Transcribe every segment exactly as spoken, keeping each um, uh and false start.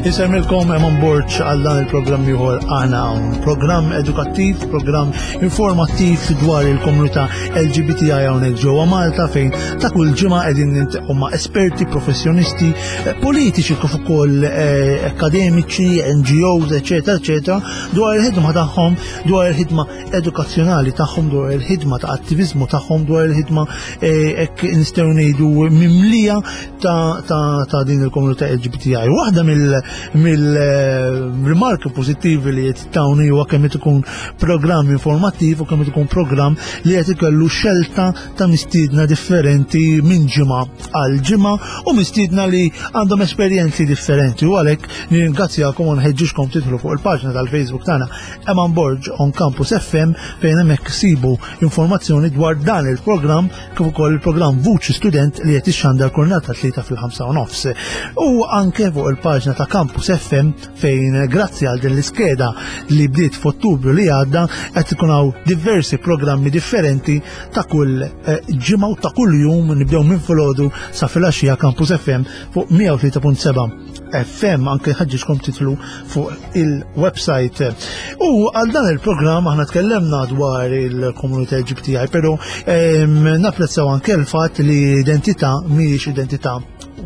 Insellmilkom, Eman Borg, għal dan il-programm ieħor Aħna Hawn. Programm edukattiv, programm informattiv dwar il-komunità L G B T I hawnhekk ġewwa Malta, fejn ta' kull ġimgħa qegħdin niltaqgħu ma' esperti, professjonisti, eh, politiċi kif ukoll eh, akademiċi, N G Os, eċetera, eċetera, dwar il-ħidma tagħhom, dwar il-ħidma edukazzjonali tagħhom, dwar il-ħidma ta' attivizmu tagħhom, dwar il-ħidma eh, hekk nistgħu ngħidu mimlija ta', ta, ta' din il-komunità L G B T I. Waħda mill-rimarki pożittivi li qed tawni huwa kemm qed ikun programm informattiv u kemm qed ikun programm li qed ikollu xelta ta' mistiedna differenti minn ġimgħa għal ġimgħa u mistiedna li għandhom esperjenzi differenti, u għalhekk nirringrazzjakom u nħeġġiġkom tidħlu fuq il-paġna tal-Facebook tagħna, Eman Borg on Campus F M, fejn hemmhekk sibu informazzjoni dwar dan il-programm kif ukoll il-programm Vuċi Student li qed ixxandar kull nhar ta' Tlieta fil-ħamsa u nofs. U anke fuq il-paġna ta' Campus F M, fejn grazzi għal din l-iskeda li bdiet f'Ottubru li għadda qed ikun hawn diversi programmi differenti ta' kull eh, ġimgħa u ta' kull jum, nibdew minn filgħodu sa filgħaxija, Campus F M fuq mija u tlieta punt seba' F M, anke nħeġġiġkom tidħlu fuq il-website. U għal dan il-programm aħna tkellemna dwar il-komunità L G B T I, pero em, napprezzaw anke l-fatt li identità mhijiex identità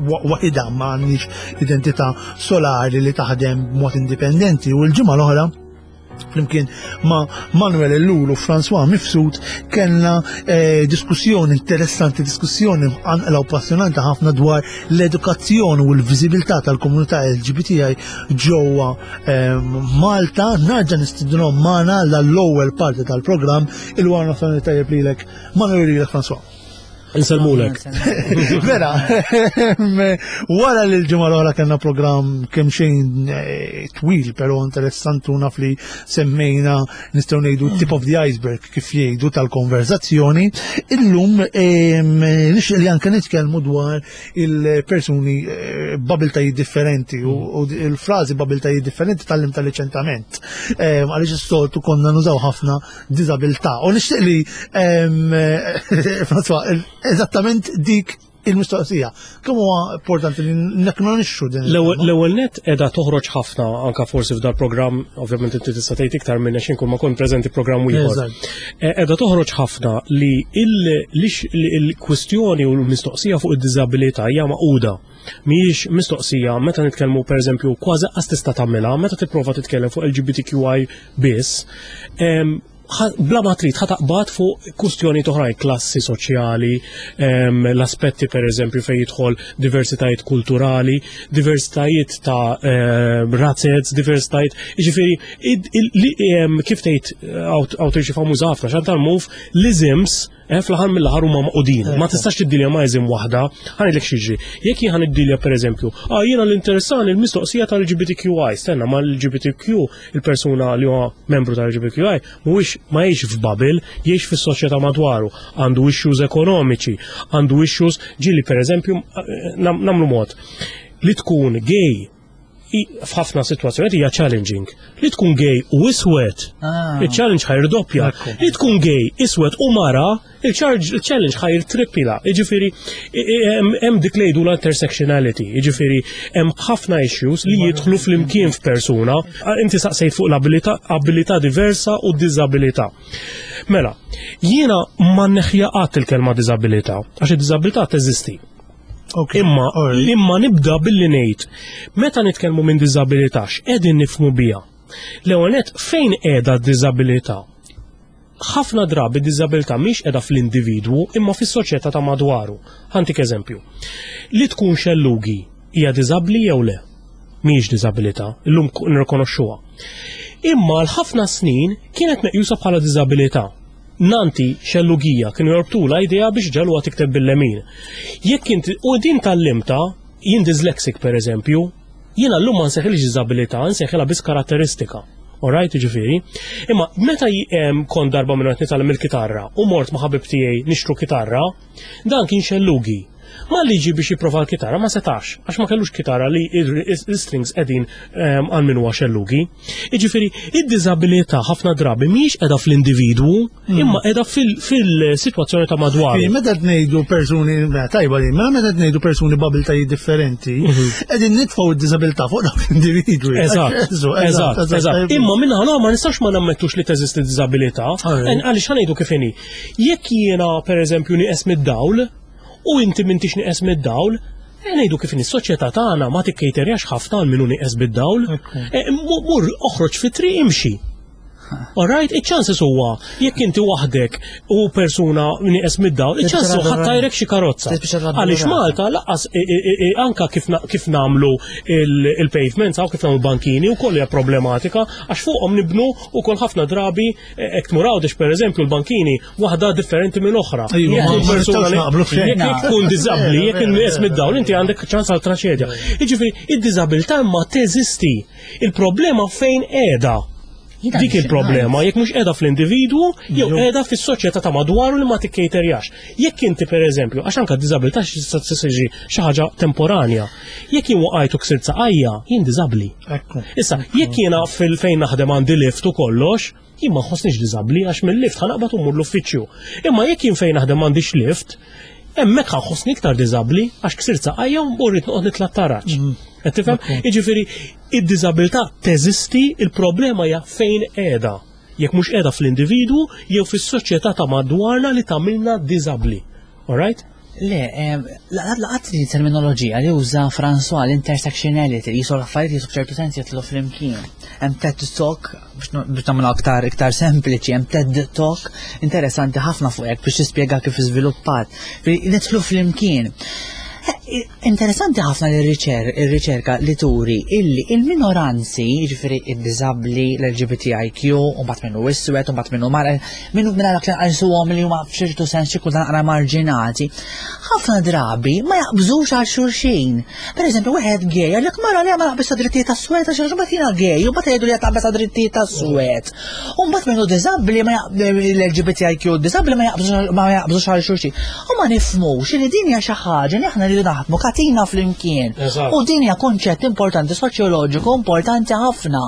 wa- waħida, ma għandniex identità solari li taħdem b'mod indipendenti, u l-ġimgħa l-oħra flimkien ma' Manuel Ellul u François Mifsud kellna eh, diskussjoni interessanti, diskussjoni mqanqla u passjonanti ħafna dwar l-edukazzjoni u l-viżibilità tal-komunità L G B T I ġewwa eh, Malta. Nerġa' nistidinhom magħna l-ewwel parti tal-programm. Il-wara nofsinhar tajjeb lilek, Manuel, lilek, François. Insellmulek. Vera, wara li l-ġimgħa l-oħra kellna programm kemm xejn eh, twil però interessanti u naf li semmejna, nistgħu ngħidu, tip of the iceberg, kif jgħidu, tal-konverzazzjoni, illum em, nixtieq li anke nitkellmu dwar il-persuni eh, b'abiltajiet differenti u u il-frażi b'abiltajiet differenti tgħallimtha riċentement. Em, Għaliex is-soltu konna nużaw ħafna diżabilità. U nixtieq li em, François, eżattament dik il-mistoqsija. Kemm huwa importanti li nikkonoxxu din L-ewwel il-kelma? L-ewwel net qiegħda toħroġ ħafna anka forsi f'dal programm, ovvjament inti tista' tgħid iktar minn għax inkun ma kont preżenti programm ieħor. Eżatt. Eh, Qiegħda toħroġ ħafna li il- lix- li il-kwistjoni u l-mistoqsija fuq id-diżabilità hija maquda. Mhijiex mistoqsija meta nitkellmu, pereżempju, kważi qas tista' tagħmilha meta tipprova titkellem fuq L G B T Q I biss. em, ħa- Bla ma trid ħa taqbad fuq kwistjoni oħrajn, klassi soċjali, em, l-aspetti per eżempju fejn jidħol diversitajiet kulturali, diversitajiet ta' em, razzez, diversitajiet, jiġifieri id- il- li- em, kif tgħid awtriċi famuża ħafna, Chantal Mouffe, l-isms eh, fl-aħħar mill-aħħar huma maqudin. Ma tistax tiddilja ma' ism waħda, ħa ngħidlek x'jiġri. Jekk jien ħa niddilja, pereżempju, ah, jiena l-interessani l-mistoqsija tal-L G B T Q I, stenna, ma l-L G B T Q, il-persuna li huwa membru tal-L G B T Q I mhuwiex ma jgħix f'bubble, jgħix fis-soċjetà madwaru, għandu issues ekonomiċi, għandu issues ġieli, pereżempju, eh, nam- namlu mod li tkun gay i- f'ħafna situazzjonijiet hija challenging. Li tkun gay u iswed, Ah. il-challenge ħa jirdoppja. Ekku. Li tkun gay, iswed u mara, il-charge- il-challenge ħa jirtrippla. Jiġifieri, i- i- hemm hemm dik li jgħidu l-intersectionality. Jiġifieri, hemm ħafna issues li jidħlu flimkien f'persuna. Ah, inti saqsejt fuq l-abilità abilità diversa u diżabilità. Mela, jiena ma neħħiha qatt il-kelma diżabilità, għax id-diżabilità teżisti. Ok, Imma, alright. imma nibda billi ngħid, meta nitkellmu minn diżabilità, x'qegħdin nifhmu biha? L-ewwel nett, fejn qiegħda d-diżabilità? Ħafna drabi d-diżabilità mhix qiegħda fl-individwu imma fis-soċjetà ta' madwaru. Ħa ntik eżempju. Li tkun xellugi hija diżabbli jew le? Mhijiex diżabilità, illum nirrikonoxxuha. Imma l-ħafna snin kienet meqjusa bħala diżabilità. Nanti xellugija kienu jorbtula idea biex ġagħluha tikteb bil-lemin. Jekk inti, u din tgħallimtha, jien dyslexic per eżempju, jiena llum ma nsejħilhiex diżabilità, nsejħilha biss karatteristika. Alright, ġifieri. Imma meta em, kont darba minn qed nitgħallem il-kitarra u mort ma' ħabib tiegħi nixtru kitarra, dan kien xellugi. Ma li ġi biex jipprova l-kitarra ma setax, għax ma kellux kitarra li il-strings qegħdin ehm, għal min huwa xellugi. Jiġifieri, id-diżabilità ħafna drabi mhijiex qiegħda fl-individwu, mm. imma qiegħda fil-sitwazzjoni ta' madwar. Meta ngħidu persuni, tajba li, mela meta ngħidu persuni b'abiltajiet differenti, mhm. qegħdin nitfgħu id-diżabilità fuq dawk l-individwi. Eżatt, eżatt, eżatt. Imma minna ma nistax ma nammettux li teżisti diżabilità, għaliex ħa ngħidu kif inhi. Jekk jiena pereżempju nieqes mid-dawl, u inti m'intix nieqes mid-dawl, e ngħidu kif is-soċjetà tagħna ma tikkejterjax ħafna għal min hu nieqes bid-dawl. E, mur oħroġ fit-triq imxi. Alright, iċ-chances huwa jekk inti waħdek u persuna nieqes mid-dawl, iċ-chances huwa ħa ttajrek xi karozza. Għaliex Malta lanqas anka kif nagħmlu il-pavements aw kif nagħmlu bankini u koll hija problematika għax fuqhom nibnu ukoll ħafna drabi hekk tmur Għawdex pereżempju l-bankini waħda differenti minn oħra. Jekk tkun diżabbli, jekk nieqes mid-dawl, inti għandek ċans għal traċedja. Jiġifieri id-diżabilità ma teżisti. Il-problema fejn qiegħda? Dik il-problema, jekk mhux qiegħda fl-individwu, jew qiegħda fis-soċjetà ta' madwaru li ma tikkejterjax. Jekk inti pereżempju, għax anke d-diżabilità xi xi ħaġa temporanja. Jekk jien waqajt u ksirt saqajja, jien diżabbli. Issa, jekk jiena fil-fejn naħdem għandi lift u kollox, jien ma nħossniex diżabbli għax mill-lift ħa naqbad u mmur l-uffiċċju. Imma jekk jien fejn naħdem m'għandix lift, hemmhekk ħa nħossni iktar diżabbli għax ksirt saqajja u rrid noqgħod nitla' taraġ. Qed tifhem? Jiġifieri id-diżabilità teżisti, il-problema hija fejn qiegħda. Jekk mhux qiegħda fl-individwu jew fis-soċjetà ta' madwarna li tagħmilna diżabbli. Alright? Le, laqat li terminoloġija li uża François l-intersectionality, li jisu l-affarijiet jisu b'ċertu sens jitlu flimkien. Hemm TED Talk biex nagħmlu aktar iktar sempliċi, hemm TED Talk interessanti ħafna fuq hekk biex tispjega kif iżviluppat. Nidħlu flimkien. Interessanti ħafna l-riċerka li turi illi il-minoranzi, ġifieri id-diżabbli, l-L G B T I Q, u mbagħad minnu iswed, u mbagħad minnu mara, minnu minn dak li nqisuhom li huma f'ċertu sens xi kultant naqra marġinati, ħafna drabi ma jaqbżux għal xulxin. Per eżempju, wieħed gay, għalek mara li ma naqbeż drittijiet tas-suwed għax mbagħad jiena gay, u mbagħad jgħidu li taqbeż drittijiet tas-suwed. U mbagħad minnu diżabbli ma l-L G B T I Q diżabbli ma jaqbżux għal xulxin. U ma nifhmux li din hija xi ħaġa li aħna rridu naħdmu katina flimkien. U din hija konċett importanti soċjoloġiku importanti ħafna.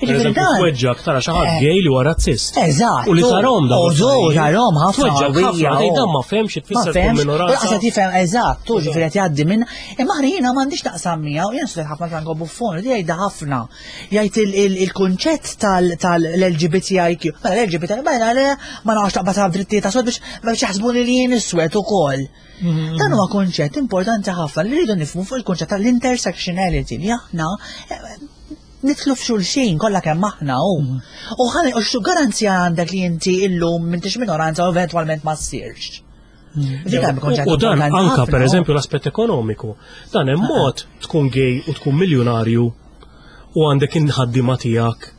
Tweġġak tara xi ħadd eh. gay li huwa razzist. Eżatt. U li tarahom da. U tarahom ħafna. Tweġġak ħafna, tgħid dan ma fehmx tfisser tkun minoranza. U qed jifhem eżatt, tu ġifieri qed jgħaddi minn imma jiena m'għandix taqsam miegħu, jien studjat ħafna Franco Buffon, li jgħidha ħafna. Jgħid il-kunċett tal-L G B T I Q. Mela l-L G B T I Q, mela le ma naqgħodx taqbad drittijiet ta' biex biex jaħsbuni li jien iswed ukoll. Mhm. Dan huwa konċett importanti ħafna li rridu nifhmu fuq il-konċett tal-intersectionality li aħna eh, nidħlu f'xulxin kollha kemm aħna u. Mhm. U ħalli u xu garanzija għandek li inti illum m'intix minoranza u eventwalment ma ssirx. Mhm. U dan anka per eżempju l-aspett ekonomiku. Dan hemm mod tkun gay u tkun miljonarju u għandek il-ħaddiema tiegħek.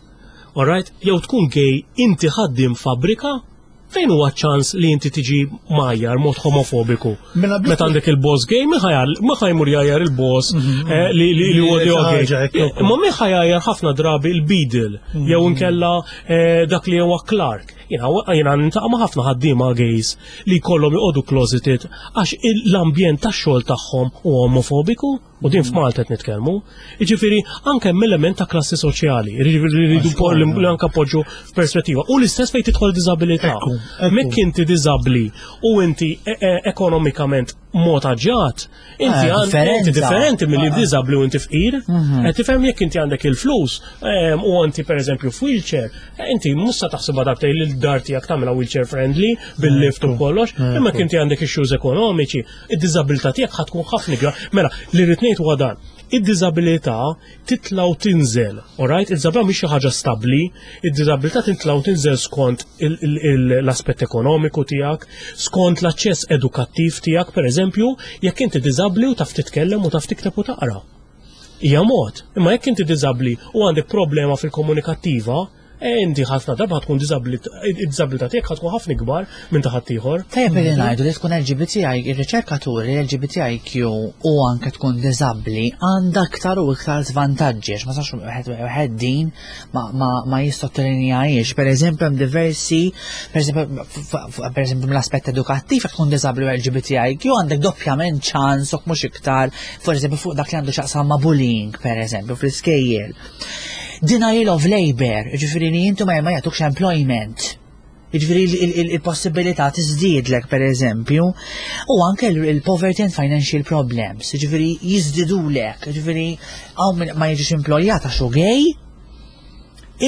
Alright? Jew tkun gay inti ħaddim fabbrika, fejn huwa ċans li inti tiġi mgħajjar mod omofobiku? Mela Meta għandek il-boss gay, min ħa jmur jgħajjar il-boss mhm. eh, li li huwa gay? Imma min ħa jgħajjar ħafna drabi il-beadle mhm. jew inkella eh, dak li huwa clerk. Jiena niltaqa' ma' ħafna ħaddiema gays li jkollhom joqogħdu closeted għax l-ambjent tax-xogħol tagħhom huwa omofobiku. U din f'Malta qed nitkellmu. Jiġifieri anke hemm element ta' klassi soċjali, rridu li anke poġġu f'perspettiva. U l-istess fejn tidħol diżabilità. Mekk inti diżabbli u inti e- e- ekonomikament mod aġġat, inti eh, inti differenti milli ah. diżabbli u inti fqir. Mhm. Qed tifhem, jekk inti għandek il-flus u inti pereżempju f'wheelchair, eh, inti mhux sa taħsibha darbtejn li l-dar tiegħek tagħmilha wheelchair friendly bil-lift u kollox, imma inti għandek issues ekonomiċi, id-diżabilità tiegħek ħa tkun ħafna ikbar. Mela, li rrid ngħid huwa dan. Id-diżabilità titla' u tinżel, alright? Id-diżabilità mhix xi ħaġa stabbli, id-diżabilità titla' u tinżel skont l-aspett ekonomiku tiegħek, skont l-aċċess edukattiv tiegħek, pereżempju, jekk inti diżabbli u taf titkellem u taf tikteb u taqra. Hija mod, imma jekk inti diżabbli u għandek problema fil-komunikattiva, E inti ħafna darba tkun id-diżabilità tiegħek ħa tkun ħafna ikbar minn ta' ħaddieħor. Tajjeb li ngħidu li tkun L G B T I, ir-riċerkaturi L G B T I Q u anke tkun diżabbli għandha aktar u iktar żvantaġġi, għax ma sax wieħed din ma ma ma jissottolinjajiex. Per eżempju, hemm diversi, per eżempju, per eżempju mill-aspett edukattiv, jekk tkun diżabbli u L G B T I Q għandek doppjament ċans u mhux iktar, for eżempju, fuq dak li għandu x'jaqsam ma' bullying, per eżempju, fl-iskejjel. Denial of labor, ġifieri li intu ma ma jagħtukx employment. Ġifieri il-possibilità tiżdiedlek, per eżempju, u anke il-poverty and financial problems, ġifieri jiżdidulek, ġifieri hawn min ma jiġix employat għax hu gay,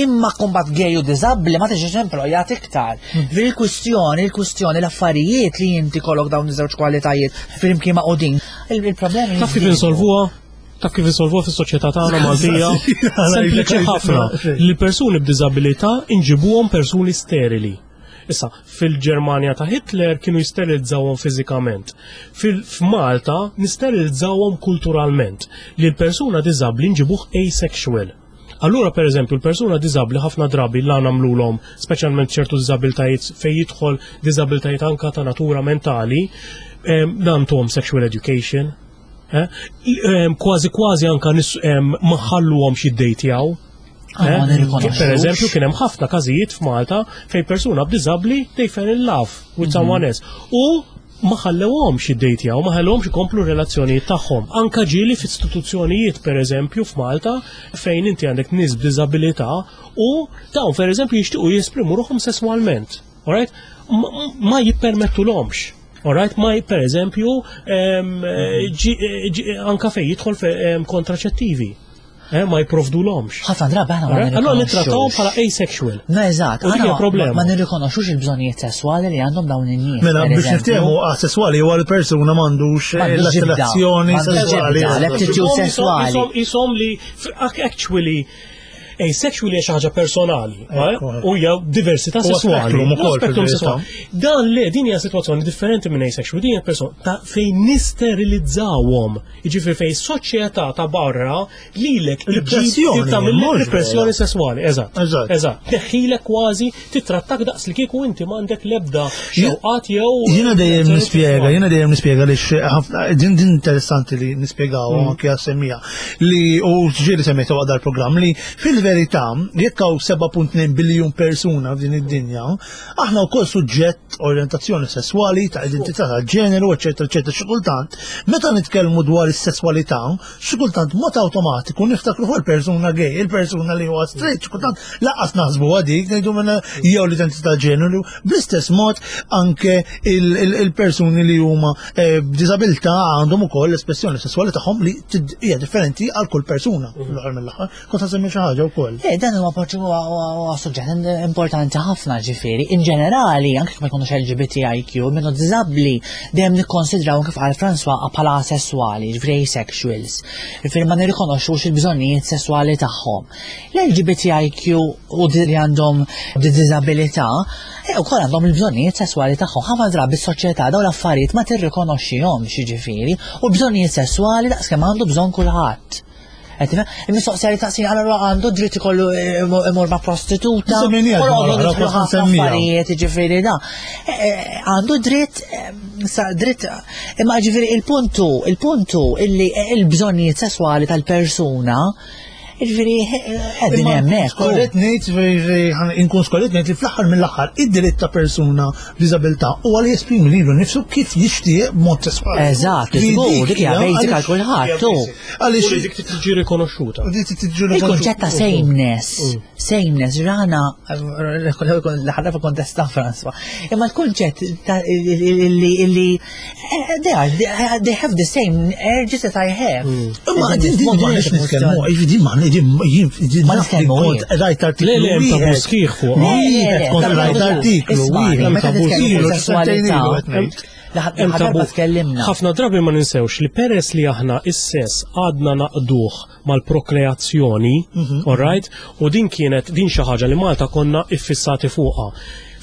imma kumbat gay u diżabbli ma tiġix employat iktar. Ġifieri il-kwistjoni, il-kwistjoni, l-affarijiet li inti kollok dawn iż-żewġ kwalitajiet flimkien maqgħudin. Il-problemi Taf kif insolvuha? Taf kif insolvuha fis-soċjetà tagħna Maltija? Sempliċi ħafna. Li persuni b'diżabilità inġibuhom persuni sterili. Issa, fil-Ġermanja ta' Hitler kienu jisterilizzawhom fiżikament. Fil-Malta nisterilizzawhom kulturalment. Li l-persuna diżabbli nġibuh asexual. Allura, per eżempju, l-persuna diżabbli ħafna drabi la nagħmlulhom, speċjalment ċertu diżabiltajiet fejn jidħol diżabiltajiet anka ta' natura mentali, nagħtuhom sexual education, eh? Kważi kważi anka ma ħalluhomx jiddejtjaw. Ah, ma nirrikonoxxux. Per eżempju, kien hemm ħafna każijiet f'Malta fejn persuna b'diżabbli they fell in love with someone else. U ma ħallewhomx jiddejtjaw, ma ħallewhomx ikomplu relazzjonijiet tagħhom. Anka ġieli f'istituzzjonijiet, per eżempju, f'Malta fejn inti għandek nies b'diżabilità u dawn, per eżempju, jixtiequ jesprimu ruħhom sesswalment. Alright? Ma, ma jippermettulhomx. Alright, ma per eżempju, em, ġi- ġi- anka fejn jidħol fe- em, kontraċettivi. Eh, ma jipprovdulhomx. Ħafna drabi aħna ma Alright? Allora nittrattawhom nirrikonoxxux. bħala asexual. No, eżatt, U dik aħna hija ma- problema. ma nirrikonoxxux il-bżonnijiet sesswali li għandhom dawn in-nies. Mela, per biex eżempju. niftehmu, asesswali huwa l-persuna m'għandux M'għandux ġibda, l-attrazzjoni m'għandux sesswali. ġibda, l-aptitude Isom- sesswali. Isom isom li f- actually asexual hija xi ħaġa personali, eh? Ekku, u hija diversità Huwa sesswali. spektrum ukoll Huwa spektrum fil-verità. sesswali. Dan le, din hija sitwazzjoni differenti minn asexual, din hija persona ta' fejn nisterilizzawhom. Jiġifieri fejn soċjetà ta' barra lilek Repressjoni, tagħmel mhux repressjoni sesswali, eżatt. Eżatt. Eżatt. Teħħilek kważi titrattak daqs li kieku inti m'għandek l-ebda xewqat jew Jiena dejjem nispjega, jiena dejjem nispjega li ħafna din din interessanti li nispjegaw anke għas-semmija li u ġieli semmejtu waqt dal-programm li fil-verità jekk hawn seba punt tnejn biljun persuna f'din id-dinja, aħna wkoll suġġett orjentazzjoni sesswali, ta' identità ta' ġeneru, eċetera, eċetera. Xi kultant, meta nitkellmu dwar is-sesswalità, xi kultant mod awtomatiku niftakru fuq il-persuna gay, il-persuna li huwa straight, xi kultant lanqas naħsbu għadik, ngħidu minn jew l-identità ġeneru, bl-istess mod anke il- il- il-persuni li huma eh, b'diżabilità għandhom ukoll l-espressjoni sesswali tagħhom li tid- hija differenti għal kull persuna fl-aħħar mill-aħħar. Kont ħa xi ħaġa wkoll. Eh, dan huwa parti huwa huwa suġġett importanti ħafna, ġifieri. In ġenerali, anke kif ma jkunux L G B T I Q, minnu diżabbli dejjem nikkonsidraw, kif qal François, bħala asessuali, ġifieri asexuals. Ġifieri ma nirrikonoxxux il-bżonnijiet sesswali tagħhom. L-L G B T I Q u li għandhom diżabilità e wkoll għandhom il-bżonnijiet sesswali tagħhom. Ħafna drabi s-soċjetà dawn l-affarijiet ma tirrikonoxxihomx, ġifieri, u l-bżonnijiet sesswali daqskemm għandu bżonn kulħadd. Qed tifhem? Il-mistoqsija li taqsin, allura għandu dritt ikollu imur ma' prostituta. Semmejniha U ġimgħa għandu l-oħra, nidħlu kont ħafna nsemmija. affarijiet, ġifieri da. Eh, eh, Għandu dritt, eh, sa dritt, imma ġifieri il-puntu, il-puntu illi il-bżonnijiet sesswali tal-persuna, ġifieri qegħdin hemmhekk. Skorret ngħid, inkun skorret ngħid li fl-aħħar mill-aħħar id-dritt ta' persuna b'diżabilità huwa li jesprimi lilu nnifsu kif jixtieq b'mod sesswali. Eżatt, Li żgur, dik dik hija basic għal kulħadd, tu. Għaliex U li dik tiġi rikonoxxuta. dik tiġi Il-konċett ta' sameness, sameness, rana, l-ħarra kontesta François, imma l-konċett ta' illi illi they are, they have the same urges that I have. Imma din din ma nix nitkellmu, din ma din din Ma naf li nitkellmu, kont rajt artiklu Le, le, hemm tabu wieħed. sħiħ fuq. Le, le, le, Kont tabu rajt sħiħ. artiklu Isma' wieħed. meta tabu nitkellmu Ilu, fuq sesswalità, sentejn ilu qed ngħid. L-aħħar darba tkellimna. Ħafna drabi ma ninsewx li peress li aħna is-sess għadna naqduh mal-prokreazzjoni, all right? U din kienet din xi ħaġa li Malta konna iffissati fuqha.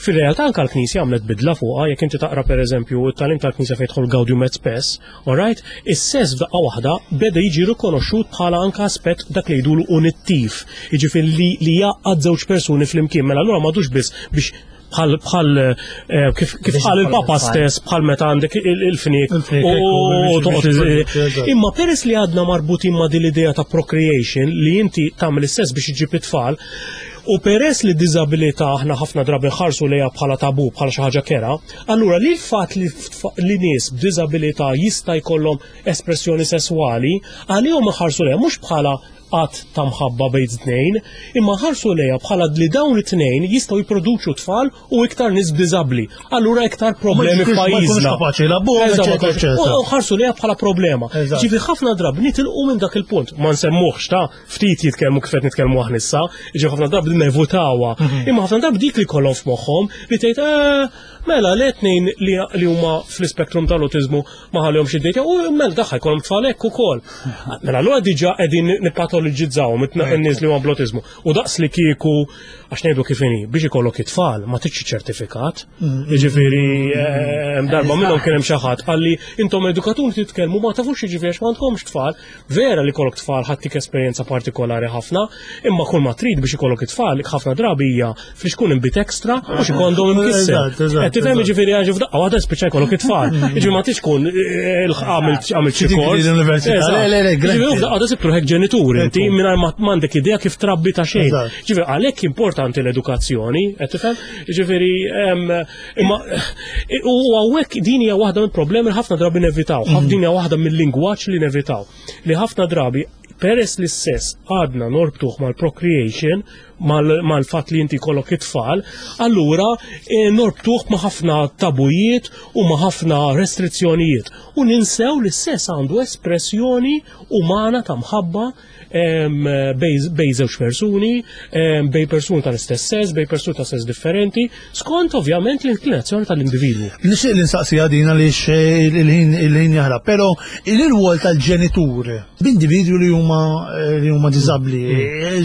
Fil-realtà anka l-Knisja għamlet bidla fuqha, jekk inti taqra pereżempju it-tagħlim tal-Knisja fejn jidħol Gaudium et Spes, all right? Is-sess f'daqqa waħda beda jiġi rikonoxxut bħala anka aspett dak li jgħidulu unittiv, jiġifieri li li jgħaqqad żewġ persuni flimkien, mela allura m'għadux biss biex bħal bħal eh, kif kif Biex qal ikollok il-Papa tfal. stess bħal meta għandek il- il-fniek Il-fniek, u ekku, toqgħod biex- eżatt. Imma peress li għadna marbutin ma' din l-idea ta' procreation li inti tagħmel is-sess biex iġib it-tfal, u peress li diżabilità aħna ħafna drabi nħarsu lejha bħala tabu, bħala xi ħaġa kerha, allura li l-fatt li f- li nies b'diżabilità jista' jkollhom espressjoni sesswali, għalihom iħarsu lejha mhux bħala att ta' mħabba bejn tnejn, imma ħarsu lejha bħala li dawn it-tnejn jistgħu jipproduċu tfal u iktar nies b'diżabbli. Allura iktar problemi Ma jkunux f'pajjiżna. kapaċi jilagħbuhom, Eżatt, ma eċetera, jkunux- eċetera. U u ħarsu lejha bħala problema. Eżatt. Ġifieri ħafna drabi nitilqu minn dak il-punt. Ma nsemmuhx ta' ftit jitkellmu kif qed nitkellmu aħna issa, ġifieri ħafna drabi nevitawha. Mhm. Imma ħafna drabi dik li kollhom f'moħħhom li tgħid "Eh, mela le tnejn li li huma fl-ispektrum tal-autizmu ma ħallihomx id-dejta u mela daħħa jkollhom tfal hekk ukoll. Mela allura diġà qegħdin nippatoloġizzawhom in-nies li huma bl-autizmu. U daqs li kieku għax ngħidu kif inhi biex ikollok it-tfal ma tridx ċertifikat. Jiġifieri eh, darba minnhom kien hemm xi ħadd qalli intom edukaturi titkellmu ma tafux jiġifieri għax m'għandkomx tfal. Vera li kollok tfal ħattik esperjenza partikolari ħafna, imma kull ma trid biex ikollok it-tfal ħafna drabi hija flixkun inbid extra u xi kondom imkisser. Eżatt, eżatt, Qed tifhem eżatt. jiġifieri għax f'daqqa waħda spiċċa jkollok it-tfal. Jiġifieri ma tix tkun eh, għamilt għamilt xi Xi kors. degree l-università. Eżatt. Le, le, le, Jiġifieri granted. f'daqqa waħda sibtu ruħek ġenitur inti Ekku. mingħajr ma m'għandek idea kif trabbi ta' xejn. Eżatt. Ġifieri għalhekk importanti l-edukazzjoni, qed tifhem? Ġifieri em, imma u hawnhekk din hija waħda mill-problemi li ħafna drabi nevitaw, ħafna din hija waħda mill-lingwaġġ li nevitaw. Li ħafna drabi peress li s-sess għadna norbtuh mal-procreation, mal-fatt li inti kollok it-tfal, allura eh, norbtuh ma' ħafna tabujiet u ma' ħafna restrizzjonijiet. U ninsew li s-sess għandu espressjoni umana ta' mħabba em, bej bej żewġ persuni, em, bej persuni tal-istess sess, bej persuni ta' sess differenti, skont ovvjament l-inklinazzjoni tal-individwu. Nixtieq li nsaqsi għadina li il-ħin il-ħin jaħrab, però il-rwol tal-ġenitur b'individwi li huma li huma diżabbli,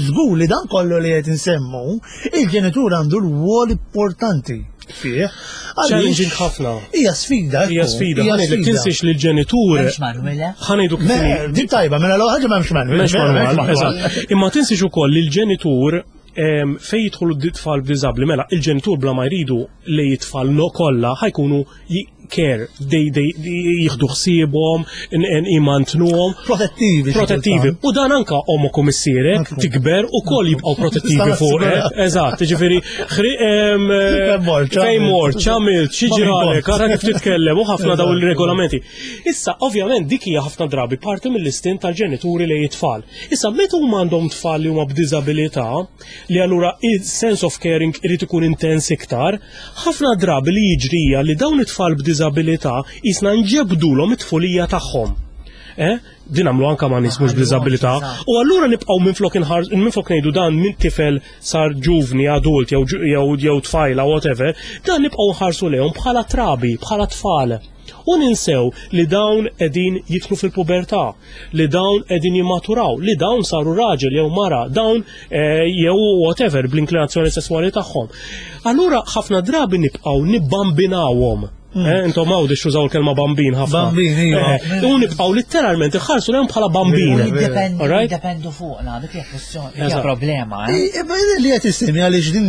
żgur li dan kollu li qed insemmu, il-ġenitur għandu rwol importanti fih. Għaliex Challenging ħafna. Hija sfida. Hija ekku, sfida, Hija ħa ngħidlek tinsiex li l-ġenitur M'hemmx manual, eh? ħa ngħidu kif Me, inhi. Din tajba, mela l ħaġa m'hemmx manual. M'hemmx manual, eżatt. Imma tinsiex ukoll li l-ġenitur em, fej jidħlu d-tfal b'diżabbli, mela il-ġenitur bla ma jridu li jitfal no kollha ħa jkunu ji- care, they, they, jieħdu ħsiebhom, imantnuhom. Protettivi. xi Protettivi. kultant. U dan anka ommok u missierek Ekku. tikber u koll jibqgħu protettivi Tista' fuq. nassigura. Eżatt, ġifieri ħri- em, Fejn mort, fejn mort, x'għamilt, xi Ma ġralek, minn ara kif titkellem u ħafna daw Eżatt. il-regolamenti. Issa, ovvjament, dik hija ħafna drabi parti mill-istint tal-ġenituri li jitfal. Issa, meta huma għandhom tfal li huma b'diżabilità, li allura il-sense of caring irid ikun intens iktar, ħafna drabi li jiġrija li dawn it-tfal b'diżabilità jisna nġebdulhom it-tfulija tagħhom. Eh? Din għamlu anka ma' nies mhux b'diżabilità. U allura nibqgħu minflok inħar minflok ngħidu dan minn tifel sar ġuvni, adult jew ġu- jew jew tfajla whatever, dan nibqgħu nħarsu lejhom bħala trabi, bħala tfal. U ninsew li dawn qegħdin jidħlu fil-pubertà, li dawn qegħdin jimmaturaw, li dawn saru raġel jew mara, dawn eh, jew whatever bl-inklinazzjoni sesswali tagħhom. Allura ħafna drabi nibqgħu nibbambinawhom. Eh, intom għawdi xużaw il-kelma bambin ħafna. Bambin, iva. Eh, U nibqgħu letteralment iħarsu lejhom bħala bambin. Jiddependu Alright? jiddependu fuqna, dik hija kwestjoni, hija Eżatt. problema, eh? I- i- Li qed issemmi għaliex din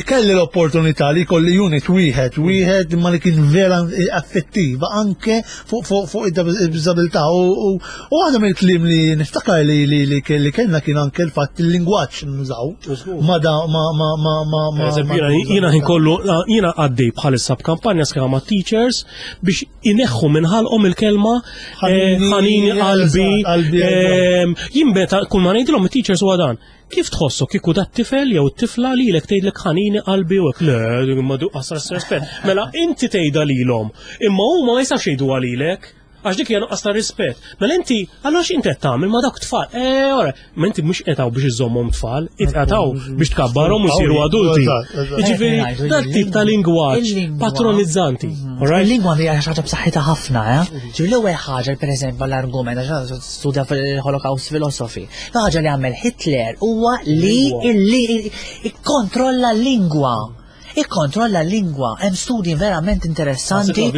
kelli l-opportunità li kolli unit wieħed, wieħed ma li kien vera affettiva anke fuq fuq fuq id-disabilità u u u waħda mill-kliem li niftakar li li li li kellna kien anke l-fatt il-lingwaġġ nużaw ma da ma ma ma ma ma Eżempju, jiena jiena ħin kollu jiena għaddej bħalissa b'kampanja sħiħa ma' teachers biex ineħħu minn ħalqhom il-kelma eh, Ħanini, ħanini qalbi. qalbi, ehm, Jien meta kull ma ngħidilhom it-teachers huwa dan. Kif tħossu kieku dat tifel jew t-tifla lilek tgħidlek ħanini qalbi u hekk le ma du qasar rispett. Mela inti tgħidha lilhom, imma huma ma jistax jgħidu lilek. Għax dik hija nuqqas ta' rispett. Mela inti, allura x'inti qed tagħmel ma' dawk tfal? Eh, ora, ma inti mhux qed biex iżommhom tfal, qed biex tkabbarhom u jsiru adulti. Jiġifieri dak tip ta' lingwaġġ patronizzanti. Mhm. Il-lingwa hija xi ħaġa b'saħħitha ħafna, eh? Ġifieri l-ewwel ħaġa, pereżempju, l-argument għax studja fil-Holocaust philosophy. L-ħaġa li għamel Hitler huwa li illi ikkontrolla l-lingwa ikkontrolla l-lingwa. Hemm studji verament interessanti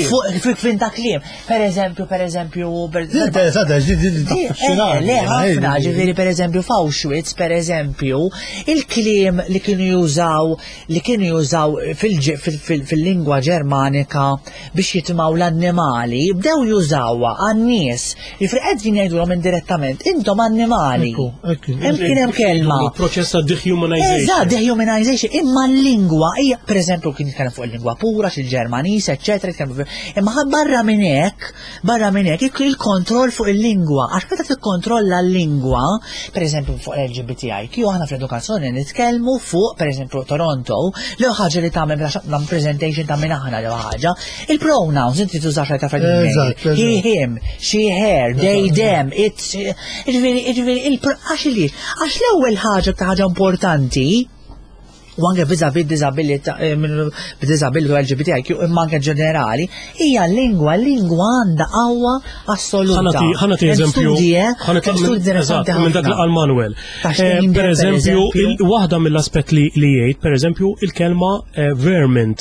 fuq fin ta' kliem. Per eżempju, per eżempju, Interessanti, le ħafna, ġifieri per eżempju f'Auschwitz, per eżempju, il-kliem li kienu jużaw li kienu jużaw fil-lingwa Ġermanika biex jitmaw l-annimali, bdew jużawha għan-nies. Ġifieri qegħdin jgħidulhom indirettament, intom annimali. Hemm kien hemm kelma. Proċess ta' dehumanization. Eżatt, dehumanization, imma l-lingwa hija, per eżempju, kien jitkellem fuq il-lingwa pura, il-Ġermaniż, eċċetera, imma barra minn hekk, barra minn hekk il-kontroll fuq il-lingwa, għax meta tikkontrolla l-lingwa, per eżempju fuq L G B T I Q, aħna fl-edukazzjoni nitkellmu fuq, per eżempju, Toronto, l ħaġa li tagħmel meta presentation ta' minn aħna l ħaġa, il-pronouns inti tużax ta' he, him, she, her, they, them, it's, ġifieri, ġifieri, għax li, għax l-ewwel ħaġa ta' ħaġa importanti u anke vis-a-vis disabilità, disability L G B T I Q, imma anke ġenerali, hija l-lingwa, l-lingwa għandha qawwa assoluta. Ħa nagħti eżempju, minn dak għal Manuel. Eh, per eżempju, waħda mill-aspett li jgħid, per eżempju, il-kelma eh, vermin.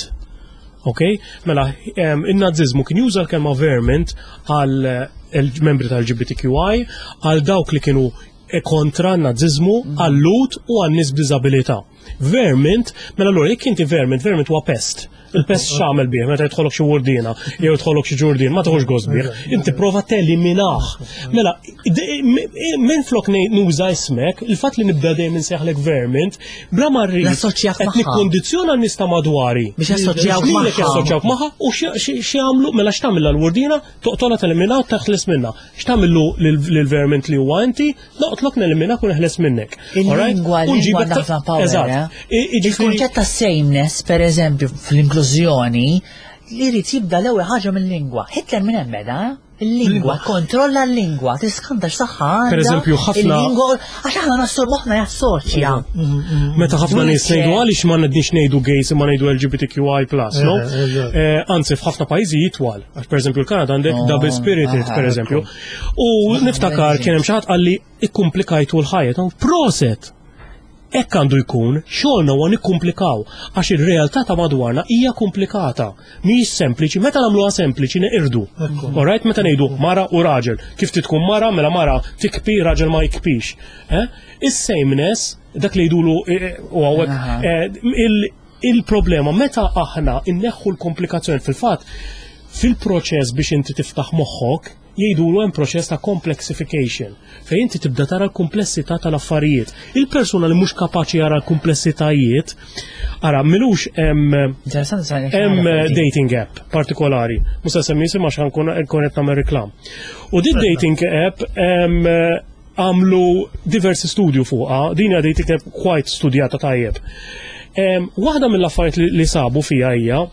Ok? Mela, il-nazizmu kien juża l-kelma vermin għal membri tal-L G B T Q I, għal dawk li kienu kontra n-nazizmu, mhm. għal-Lhud u għan-nies b'diżabilità. Vermin, mela allura jekk inti vermin, vermin huwa pest. Il-pest x'għamel bih meta jidħolok xi wurdina jew jidħolok xi ġurdin, ma tieħux gost bih. Inti prova teliminah. Mela, minn flok nuża ismek, il-fatt li nibda dejjem insejħlek vermin, bla ma rrid qed nikkondizzjona n-nies ta' madwari. Biex jassoċjawk magħha. Jassoċjawk magħha u x'jagħmlu, mela x'tagħmel l-wurdina, toqtolha, telimina u taħles minnha. X'tagħmillu lill-vermin li huwa inti, noqtlok, neliminak u neħles minnek. Il-lingwa, l-lingwa ħafna power. Eh? Il-kunċett ta' sameness, per eżempju, fl-inklużjoni, li jrid jibda l-ewwel ħaġa mill-lingwa. Hitler minn hemm beda, eh? Il-lingwa, kontrolla l-lingwa, tiskanta x'saħħa. Per eżempju, ħafna. Il-lingwa, għax aħna nassur moħħna jassoċja. Meta ħafna nies ngħidu għaliex ma ngħidniex ngħidu gays imma ngħidu L G B T Q I plus, no? Eh, anzi, f'ħafna pajjiżi jitwal. Għax pereżempju l-Kanada għandek oh, double spirited, pereżempju. U niftakar kien hemm xi ħadd qalli ikkumplikajtu l-ħajja. Proset! Hekk għandu jkun, xogħolna huwa nikkumplikaw, għax ir-realtà ta' madwarna hija komplikata. Mhijiex sempliċi, meta nagħmluha sempliċi neqirdu. Alright, meta ngħidu mara u raġel, kif tkun mara, mela mara tikpi, raġel ma jikpix. Eh? Is-sameness, dak li jgħidulu eh, eh, u hawnhekk il-problema meta aħna inneħħu l-komplikazzjoni. Fil-fatt, fil-proċess biex inti tiftaħ moħħok, jgħidulu hemm proċess ta' complexification fejn inti tibda tara l-komplessità tal-affarijiet. Il-persuna li mhux kapaċi jara l-komplessitajiet, ara milux hemm hemm dating app partikolari. Mhux se semmi isimha għax nkun qed nagħmel reklam. U din dating app għamlu diversi studju fuqha, din hija dating app quite studjata tajjeb. Waħda mill-affarijiet li sabu fija hija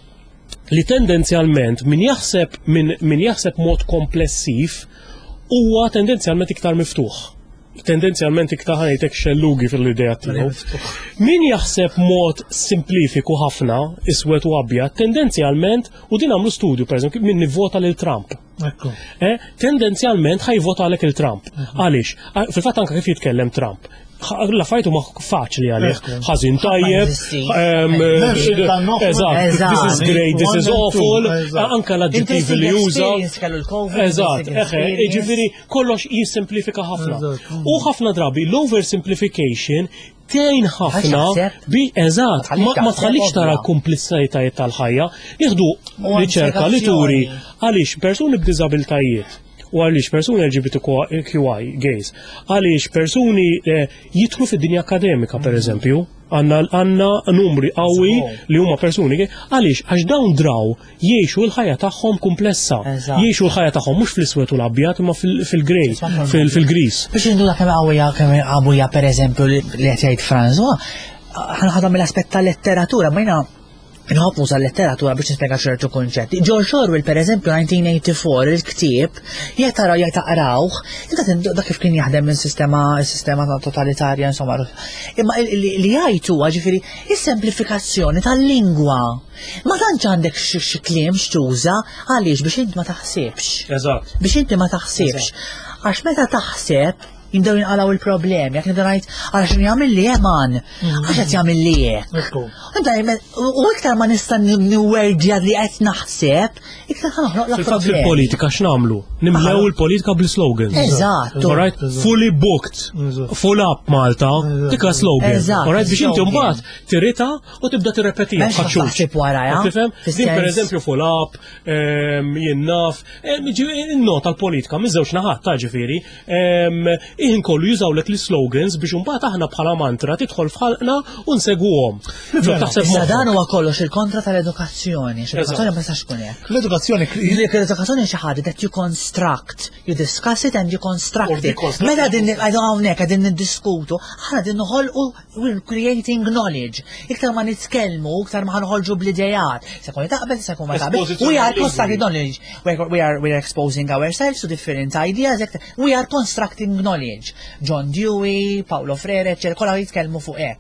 li tendenzjalment min jaħseb min, min jaħseb mod komplessiv huwa tendenzjalment iktar miftuħ. Tendenzjalment iktar, ħa ngħidlek, xellugi fil-idea tiegħu. Min jaħseb mod simplifiku ħafna, iswed u abjad, tendenzjalment, u din għamlu studju, per eżempju, min nivvota lil Trump. Eh, tendenzjalment ħa jivvota għalek il-Trump. Għaliex? Fil-fatt anka kif jitkellem Trump, l-affarijiet huma faċli għalih. Ħażin, tajjeb. Eżatt, this is great, this is awful, anka l-aġġettivi li juża. Eżatt, eħe, ġifieri kollox jissimplifika ħafna. U ħafna drabi l-oversimplification tgħin ħafna bi eżatt, ma tħallix tara l-kumplessitajiet tal-ħajja. Nieħdu riċerka li turi għaliex persuni b'diżabiltajiet u għaliex persuni L G B T Q I, gays, għaliex persuni eh, jidħlu fid-dinja akademika, per eżempju, għanna għanna numri qawwi li huma persuni gay, għaliex? Għax dawn draw jgħixu l-ħajja tagħhom komplessa. Jgħixu l-ħajja tagħhom mhux fl-iswed u l-abjad imma fil-grey, fil-gris. Biex induna kemm qawwija kemm qawwija per eżempju li qed jgħid François, ħa noħodha mill-aspett tal-letteratura, ma jiena Nħobb nuża l-letteratura biex nispjega ċertu kunċetti. George Orwell, per eżempju, nineteen eighty-four, il-ktieb, jekk taraw, jekk taqrawh, inta dak kif kien jaħdem minn sistema sistema totalitarja, insomma. Imma li jgħid huwa, ġifieri, is-semplifikazzjoni tal-lingwa. Ma tantx għandek xi kliem x'tuża, għaliex biex inti ma taħsibx. Eżatt. Biex inti ma taħsibx. Għax meta taħseb jibdew jinqalaw il-problemi, jekk nibda ngħid għal x'in jagħmel li man, għax qed jagħmel li hekk. U iktar ma nista' niwerdja li qed naħseb, iktar ħa noħloq la problemi. Fil-politika x'nagħmlu? Nimlew il-politika bl-slogans. Eżatt. Alright, fully booked. Full up Malta, dik slogan. Eżatt. Alright, biex inti mbagħad tirita u tibda tirrepeti. Taħseb wara, Tifhem? Din pereżempju full up, jien naf, nota l-politika miż-żewġ naħat ta' ġifieri, iħin kollu jużawlek l-slogans biex imbagħad aħna bħala mantra tidħol f'ħalqna u nsegwuhom. Issa dan huwa kollox il-kontra tal-edukazzjoni. L-edukazzjoni ma tistax tkun hekk. L-edukazzjoni L-edukazzjoni xi ħaġa that you construct, you discuss it and you construct it. Meta din hawnhekk qegħdin niddiskutu, aħna din noħolqu, we're creating knowledge. Iktar ma nitkellmu, iktar ma ħanħolġu bl-idejat. Se jkun taqbel, se jkun ma taqbel. We are constructing knowledge. We are we are exposing ourselves to different ideas. We are constructing knowledge. John Dewey, Paulo Freire, eccetera, kollha jitkellmu fuq hekk.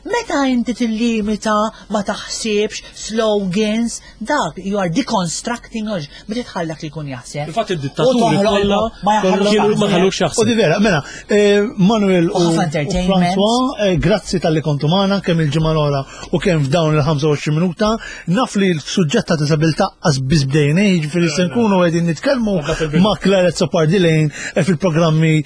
Meta inti tillimita, ma taħsibx, slogans, dak you are deconstructing knowledge, biex tħallak li jkun jaħseb. Infatti id-dittaturi kollha ma ħallux jaħseb. U di vera, mela, eh, Manuel u François, eh, grazzi talli kontu magħna kemm il-ġimgħa l-oħra u kemm f'dawn il-ħamsa u għoxrin minuta. Naf li l-suġġett ta' disabilità qas biss bdejna, jiġifieri se nkunu qegħdin nitkellmu ma' Claire Azzopardi Lane eh, fil-programmi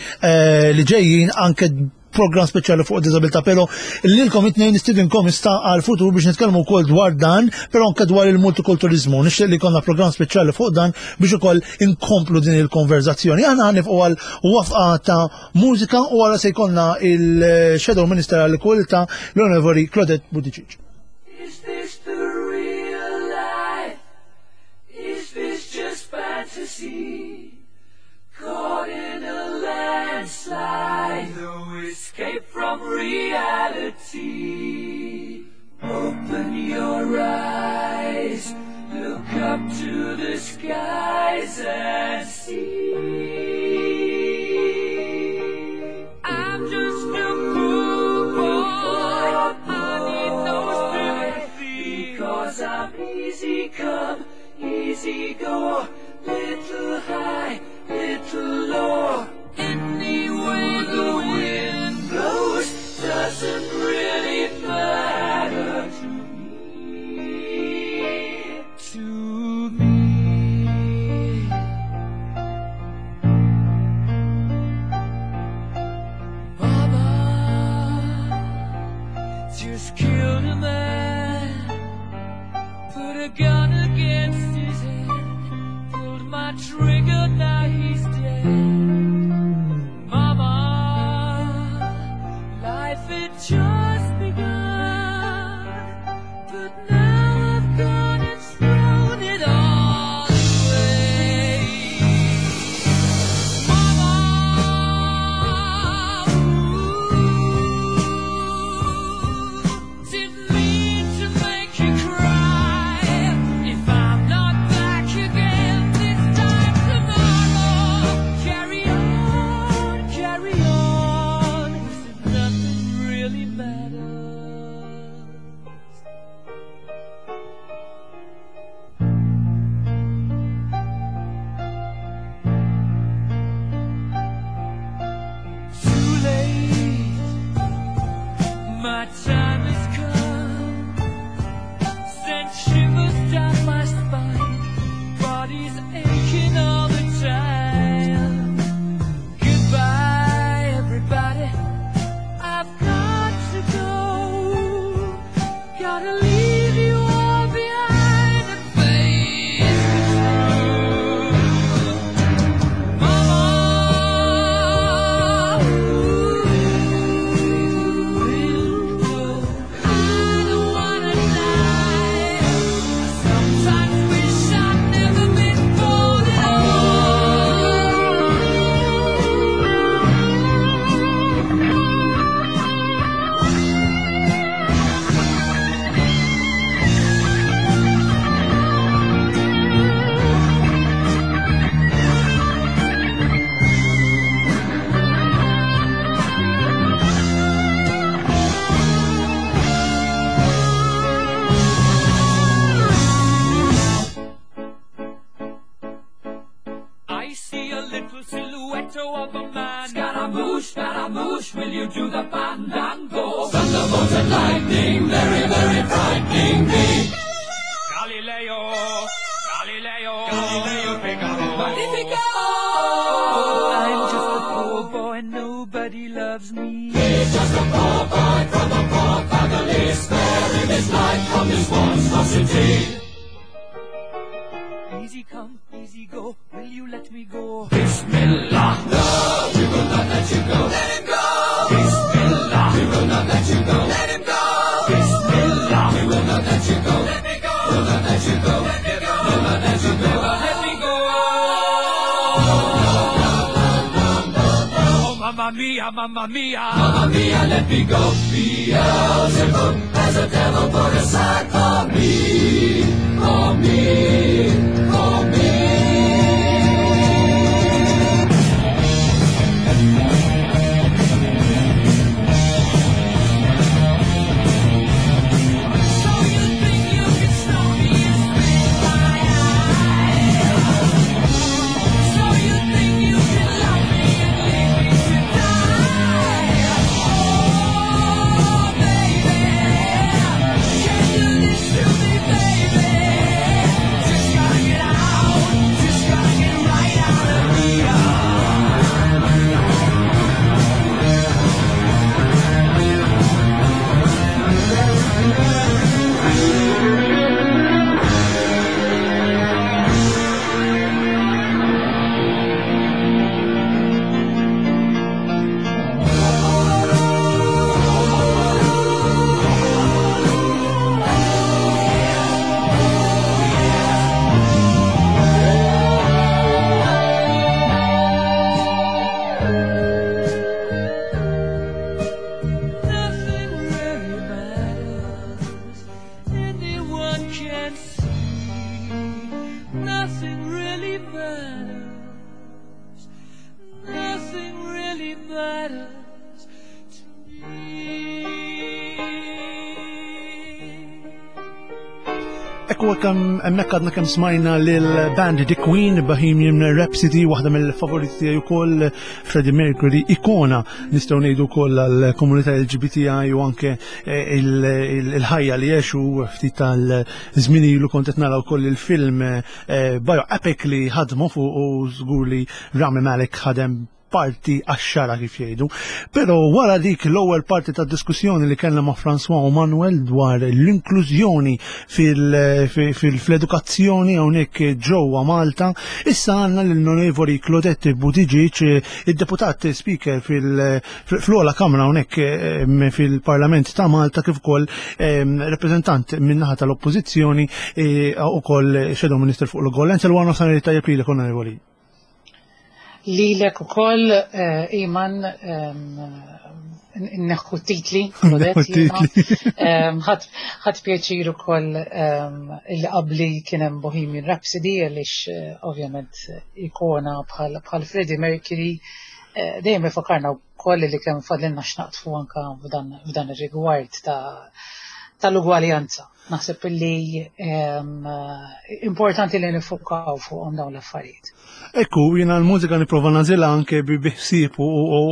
li ġejjin, anke program speċjali fuq disabilità, pero lilkom it-tnejn nistidinkom ista għal futur biex nitkellmu wkoll dwar dan, pero anke dwar il-multikulturizmu. Nixtieq li jkollna program speċjali fuq dan biex ukoll inkomplu din il-konverzazzjoni. Aħna ħa nieqfu għal waqfa ta' mużika u għala se jkollna il-Shadow Minister għall-Ekwalità, l-Onorevoli Claudette Buttigieg. Is this the real life? Is this just fantasy? Caught in a landslide, no escape from reality. Open your eyes, look up to the skies and see. I'm just a poor boy, I need no sympathy. Because I'm easy come, easy go, little high, little low. Any way the wind blows doesn't really matter to me. To me. Mama just killed a man, put a gun against his head, pulled my trigger, now he's dead. Mama, life had just begun, but now I've gone and thrown it all away. Mama, ooh, didn't mean to make you cry. If I'm not back again this time tomorrow, carry on, carry on, as if nothing really matters. Too late, my time has come. Sent shivers down my spine, body's aching all the time. Goodbye, everybody. I've got to go. Gotta leave you all behind and face the truth. Mama, ooh, wind blows. you do the fandango? Thunderbolts and lightning, very, very frightening me. Galileo, Galileo, Galileo Figaro. Magnifico! I'm just a poor boy, nobody loves me. He's just a poor boy from a poor family, sparing his life from this monstrosity. Easy come, easy go, will you let me go? Bismillah! No, we will not let you go. Let him go! Bismillah! We will not let you go. Let him go! Bismillah! We will not let you go. Let me go! Will not let you go. Let me go! Will not let you go. Never let me go! Oh, mamma mia, mamma mia! Mamma mia, let me go! Beelzebub has a devil put aside for me, for me, for me. So you think you can stone me and spit in my eye? So you think you can love me and leave me to die? Oh, baby, can't do this to me, baby. Just gotta get out, just gotta get right out of here. Nothing really matters. Anyone can see. Nothing really matters. Nothing really matters to me. Ekku kemm hemmhekk għadna kemm smajna lil band The Queen Bohemian Rhapsody, waħda mill-favoriti tiegħi wkoll Freddie Mercury, ikona nistgħu ngħidu wkoll għall-komunità LGBTI u anke eh, il- il- il-ħajja li għexu ftit tal-żmien ilu kont qed nara wkoll il-film eh, bioepic li ħadmu fuq u żgur li Rami Malek ħadem parti għax-xara kif jgħidu. Però wara dik l-ewwel parti ta' diskussjoni li kellna ma' François u Manuel dwar l-inklużjoni fil-edukazzjoni hawnhekk ġewwa Malta, issa għandna l-Onorevoli Claudette Buttigieg, id-deputat speaker fil-ogħla kamra hawnhekk eh, fil-Parlament ta' Malta kif ukoll eh, rappreżentant min-naħa tal-Oppożizzjoni eh, ukoll Shadow Minister fuq l-Ugwaljanza. Il-wara nofsinhar tajjeb lilek Onorevoli. Lilek ukoll, eh, Iman, neħħu titli, Claudette, jiena. Em, ħadt ħadt pjaċir ukoll em, illi qabli kien hemm Bohemian Rhapsody għaliex eh, ovvjament ikona bħal bħal Freddie Mercury eh, dejjem ifakarna wkoll li kemm fadlilna x'naqtfu anka f'dan f'dan ir-rigward ta' tal-ugwaljanza. Naħseb illi em, importanti li nifukaw fuqhom dawn l-affarijiet. Ekku, jiena l-mużika nipprova nagħżilha anke bi ħsieb u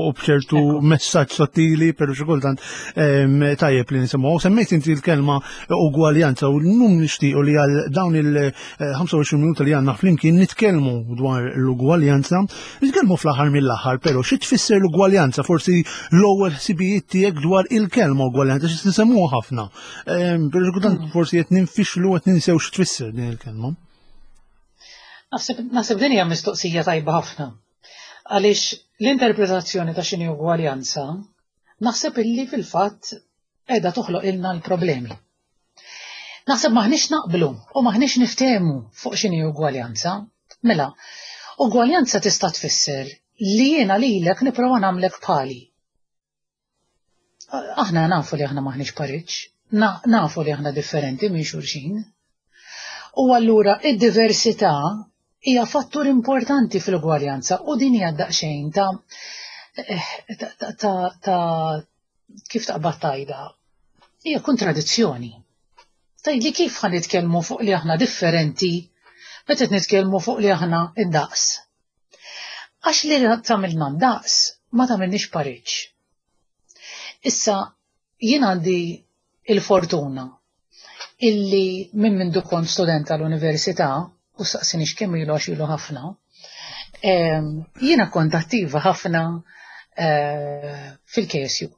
u bċertu messaġġ sottili, pero xi kultant em, tajjeb li nisimgħu. Semmejt inti l-kelma ugwaljanza u llum nixtiequ li għal dawn il-ħamsa u għoxrin minuta li għandna flimkien nitkellmu dwar l-ugwaljanza, nitkellmu fl-aħħar mill-aħħar, però xi tfisser l-ugwaljanza? Forsi l-ewwel ħsibijiet tiegħek dwar il-kelma ugwaljanza xi nisemmuha ħafna. Em, Pero xi kultant forsi qed ninfixlu qed ninsew xi tfisser din il-kelma. Naħseb naħseb din hija mistoqsija tajba ħafna. Għaliex l-interpretazzjoni ta' x'inhi ugwaljanza naħseb illi fil-fatt qiegħda toħloq ilna l-problemi. Naħseb maħniex naqblu u maħniex niftehmu fuq x'inhi ugwaljanza. Mela, ugwaljanza tista' tfisser li jiena lilek nipprova nagħmlek bħali. Aħna nafu li aħna maħniex pariġġ, nafu li aħna differenti minn xulxin. U allura id-diversità hija fattur importanti fil-ugwaljanza u din hija daqsxejn ta' ta' ta' ta' kif taqbad tajda. Hija kontradizzjoni. Tgħidli kif ħa nitkellmu fuq li aħna differenti meta qed nitkellmu fuq li aħna indaqs. Għax li tagħmilna ndaqs ma tagħmilniex pariġġ. Issa, jien għandi il-fortuna illi minn mindu kont student tal-università, u saqsinix kemm ilu għax ilu ħafna, jiena kont attiva ħafna eh, fil-K S U.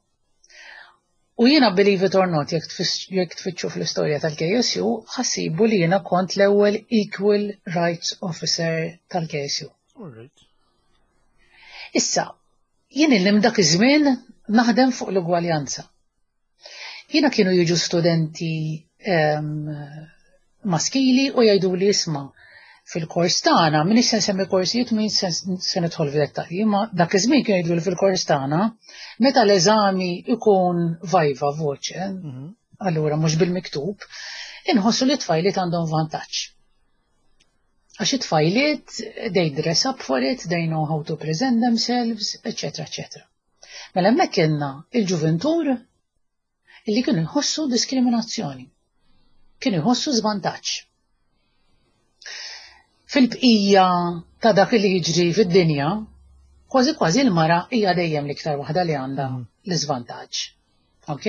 U jiena, believe it or not, jekk tfittxu fl-istorja tal-K S U, ħa ssibu li jiena kont l-ewwel Equal Rights Officer tal-K S U. Issa, jien illi dak iż-żmien naħdem fuq l-ugwaljanza. Jiena kienu jiġu studenti um, maskili u jgħidu li, "Isma', fil-kors tagħna," m'iniex se nsemmi korsijiet, min se nidħol f'dettalji, ma dak iż-żmien kienu jgħidu li fil-kors tagħna meta l-eżami ikun viva voce, mhm. allura mhux bil-miktub, inħossu li tfajliet għandhom vantaġġ. Għax it-tfajliet, they dress up for it, they know how to present themselves, eccetera, eccetera. Mela hemmhekk kellna il-ġuventur illi kienu jħossu diskriminazzjoni. Kienu jħossu żvantaġġ. Fil-bqija ta' dak li jiġri fid-dinja, kważi kważi l-mara hija dejjem l-iktar waħda li għandha mm. l-iżvantaġġ. Ok?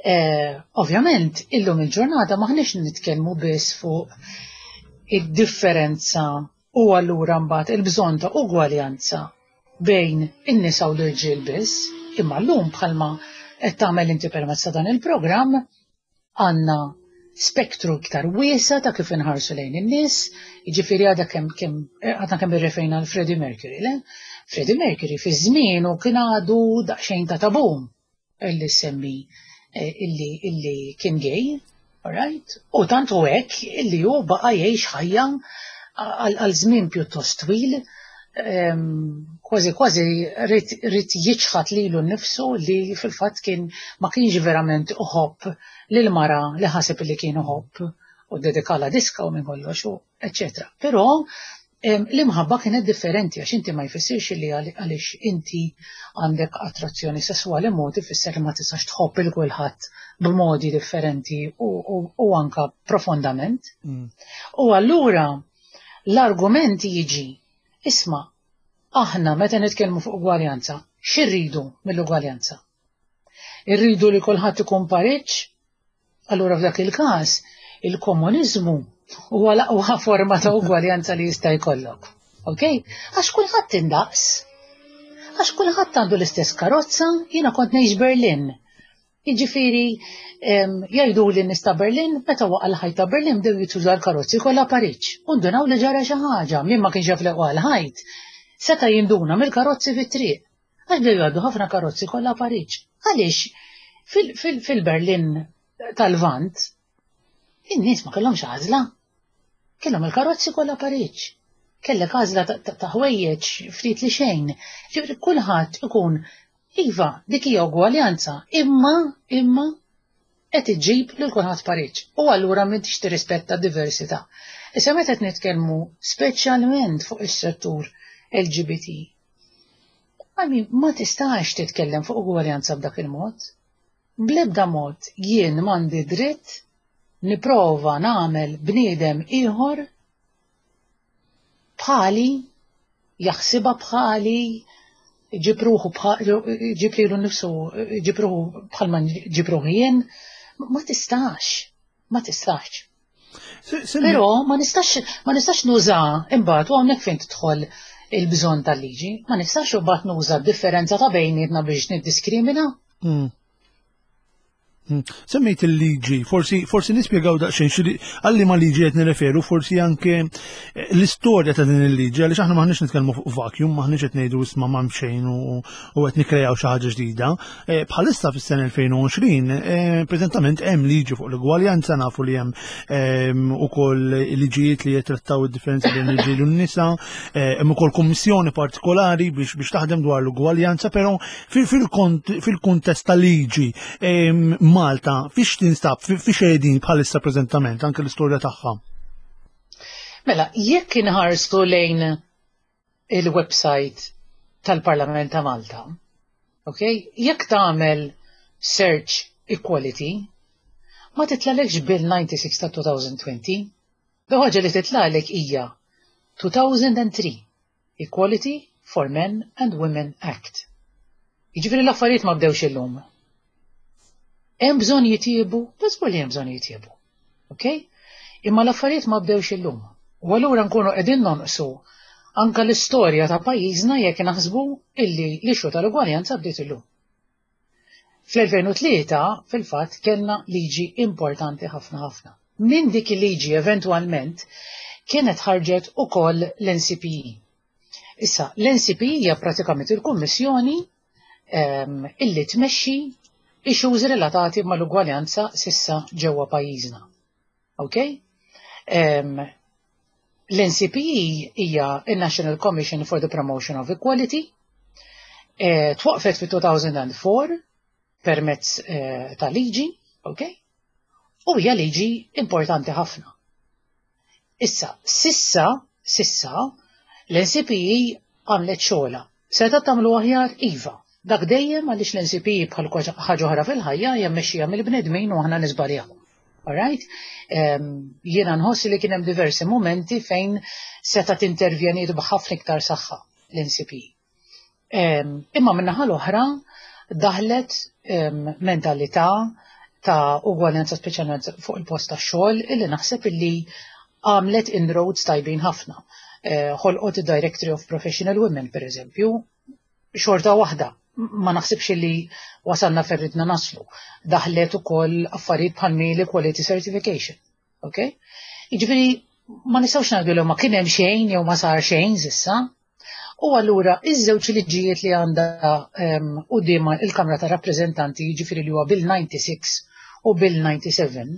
Eh, ovvjament, illum il-ġurnata maħniex nitkellmu biss fuq id-differenza u allura mbagħad il-bżonn ta' ugwaljanza bejn in-nisa u l-irġiel biss, imma llum, bħalma qed tagħmel inti permezz ta' dan il-programm, għandna spektru iktar wiesa ta' kif inħarsu lejn in-nies, jiġifieri għadha kemm kemm għadna kemm irreferejna għal Freddie Mercury, le? Freddie Mercury fi żmienu kien għadu daqsxejn ta' tabu illi semmi eh, illi illi kien gay, alright? U tant u hekk illi hu baqa' jgħix ħajja għal żmien pjuttost twil, kważi kważi ried jiċħad lilu nnifsu li fil-fatt kien ma kienx verament uħobb lil mara li ħaseb li kien uħobb u dedikala diska u minn kollox u eccetera. Però l-imħabba kienet differenti, għax inti ma jfissirx li għaliex inti għandek attrazzjoni sessuali mod ifisser li ma tistax tħobb il kulħadd b'modi differenti u, u, u anka profondament. Mm. U allura l-argument jiġi, isma', aħna meta nitkellmu fuq ugwaljanza, x'irridu mill-ugwaljanza? Irridu li kulħadd ikun pariġġ? Allura f'dak il-każ il-komuniżmu huwa l-aqwa forma ta' ugwaljanza li jista' jkollok. Ok? Għax kulħadd indaqs. Għax kulħadd għandu l-istess karozza, jiena kont ngħix Berlin. Jiġifieri jgħidu li nies ta' Berlin, meta waqa' l-ħajt ta' Berlin bdew jituża l-karozzi kollha pariġġ. U ndunaw li ġara xi ħaġa, min ma kienx jaf li waqa' l-ħajt, seta' jinduna mill-karozzi fit-triq. Għax bdew jgħaddu ħafna karozzi kollha pariġġ. Għaliex fil-Berlin tal-Lvant, in-nies ma kellhomx għażla. Kellhom il-karozzi kollha pariġġ. Kellek għażla ta' ħwejjeġ ftit li xejn. Ġifieri kulħadd ikun. Iva, dik hija ugwaljanza, imma imma qed iġġib lil kulħadd pariġġ. U allura m'intix tirrispetta d-diversità. Issa meta qed nitkellmu speċjalment fuq is-settur L G B T, I mean, ma tistax titkellem fuq ugwaljanza b'dak il-mod. Bl-ebda mod jien m'għandi dritt niprova nagħmel bniedem ieħor bħali, jaħsibha bħali, ġib ruħu, ġib lilu nnifsu, ġib ruħu bħalma ġib ruħi jien, ma tistax, ma tistax. Però ma nistax ma nistax nuża imbagħad, u hawnhekk fejn tidħol il-bżonn tal-liġi, ma nistax imbagħad nuża differenza ta' bejnietna biex niddiskrimina. Mm. Hmm. Semmejt il-liġi, forsi, forsi nispjegaw daqsxejn xi għal liema liġi qed nirreferu, forsi anke eh, l-istorja ta' din il-liġi, għaliex aħna maħniex nitkellmu fuq vacuum, maħniex qed ngħidu, "Isma', ma xejn u qed nikkrejaw xi ħaġa ġdida." Eh, bħalissa fis-sena elfejn u għoxrin, eh, preżentament hemm liġi fuq l-ugwaljanza, nafu li hemm ukoll liġijiet li jittrattaw id-differenzi bejn l-irġiel u n-nisa, hemm ukoll kummissjoni partikolari biex biex taħdem dwar l-ugwaljanza, però fil-kuntest tal-liġi Malta fiex tinstab, fiex qegħdin bħalissa preżentament, anke l-istorja tagħha? Mela, jekk inħarsu lejn il-website tal-Parlament ta' Malta, ok? Jekk tagħmel search equality, ma titlalekx Bill disgħa u disgħin ta' elfejn u għoxrin. L-ħaġa li titlalek hija elfejn u tlieta Equality for Men and Women Act. Jiġifieri l-affarijiet ma bdewx illum. Hemm bżonn jitjiebu, żgur li hemm bżonn jitjiebu. Ok? Imma l-affarijiet ma bdewx illum. U allura nkunu qegħdin nonqsu anka l-istorja ta' pajjiżna jekk naħsbu illi l-issue tal-ugwaljanza bdiet illum. Fl-elfejn u tlieta fil-fatt kellna liġi importanti ħafna ħafna. Min dik il-liġi eventwalment kienet ħarġet ukoll l-N C P E. Issa, l-N C P E hija pratikament il-kummissjoni um, illi tmexxi issues relatati mal-ugwaljanza s'issa ġewwa pajjiżna. Ok? Um, L-N C P E hija il-National Commission for the Promotion of Equality, eh, twaqfet fi elfejn u erbgħa permezz eh, ta' liġi, ok? U hija liġi importanti ħafna. Issa, s'issa, s'issa, l-N C P E għamlet xogħolha. Seta tagħmlu aħjar, iva. Dak dejjem, għaliex l-N C P E bħal ħaġa oħra fil-ħajja hija mmexxija mill-bnedmin u aħna niżbaljaw. Alright? Um, jiena nħoss li kien hemm diversi momenti fejn seta tintervjeniet b'ħafna iktar saħħa l-N C P E. Um, imma min-naħa l-oħra daħlet um, mentalità ta' ugwaljanza, speċjalment fuq il-post ta' xogħol, illi naħseb illi għamlet inroads tajbin ħafna. Eh, ħolqot id-Directory of Professional Women, per eżempju, xorta waħda ma naħsibx li wasalna fejn ridna naslu. Daħlet ukoll affarijiet bħal Male Equality Certification. Ok? Jiġifieri ma nistgħux ngħidu li ma kien hemm xejn jew ma sar xejn s'issa. U allura iż-żewġ liġijiet li għandha quddiem il-Kamra ta' Rappreżentanti, jiġifieri li huwa Bill disgħa u disgħin u Bill disgħa u sebgħin,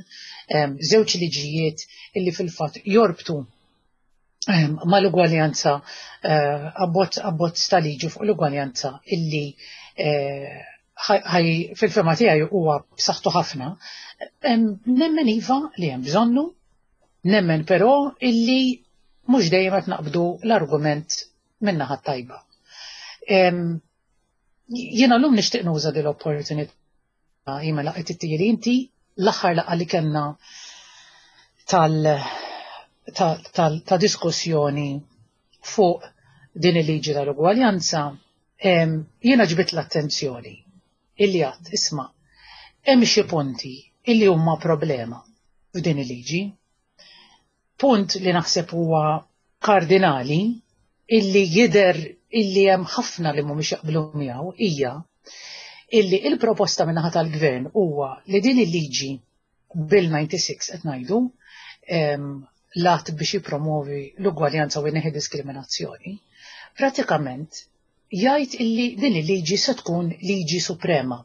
żewġ liġijiet illi fil-fatt jorbtu mal-ugwaljanza, eh, abbozz ta' liġi fuq l-ugwaljanza illi eh, ħaj fil-fehma tiegħi huwa b'saħħtu ħafna. Nemmen iva li hemm bżonnu, nemmen però illi mhux dejjem qed naqbdu l-argument min-naħa tajba. Jiena llum nixtieq nuża din l-opportunità jima laqgħet it inti l-aħħar laqgħa li kellna tal ta', ta, ta diskussjoni fuq din il-liġi tal-ugwaljanza, jiena ġbit l-attenzjoni illi għedt, isma', hemm xi punti illi huma problema f'din il-liġi. Punt li naħseb huwa kardinali, illi jidher illi hemm ħafna li mhumiex jaqblu miegħu, hija illi il-proposta min-naħa tal-gvern huwa li din il-liġi Bill disgħa u disgħin qed ngħidu, l-att biex jipromovi l-ugwaljanza u jneħħi diskriminazzjoni, pratikament jgħid illi din il-liġi se tkun liġi suprema.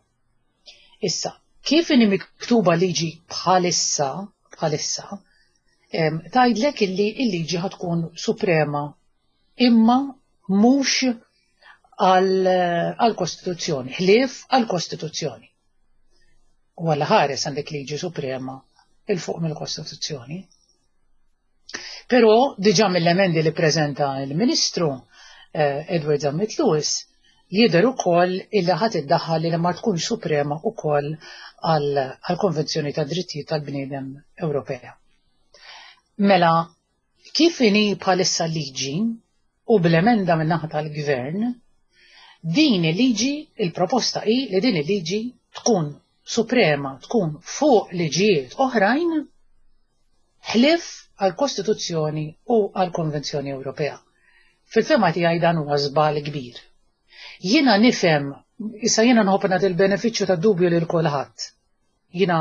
Issa, kif inhi miktuba liġi bħalissa, bħalissa, tgħidlek illi il-liġi tkun suprema imma mhux għal-Kostituzzjoni, ħlief għal-Kostituzzjoni. U għalla ħares għandek liġi suprema 'il fuq mill-Kostituzzjoni. Però diġà mill-emendi li prezenta il-Ministru eh, Edward Zammit Lewis jidher ukoll illi ħadd iddaħħal li ma tkunx suprema ukoll għall-Konvenzjoni ta' Drittijiet tal-Bniedem Ewropea. Mela, kif inhi bħalissa liġi u bl-emenda min-naħa tal-Gvern, din il-liġi, il-proposta hi li din il-liġi tkun suprema, tkun fuq liġijiet oħrajn ħlief għal-Kostituzzjoni u għal-Konvenzjoni Ewropea. Fil-fehma tiegħi dan huwa żball kbir. Jiena nifhem, issa jiena nħobb nagħti il-benefiċċju ta' dubju lil kulħadd. Jiena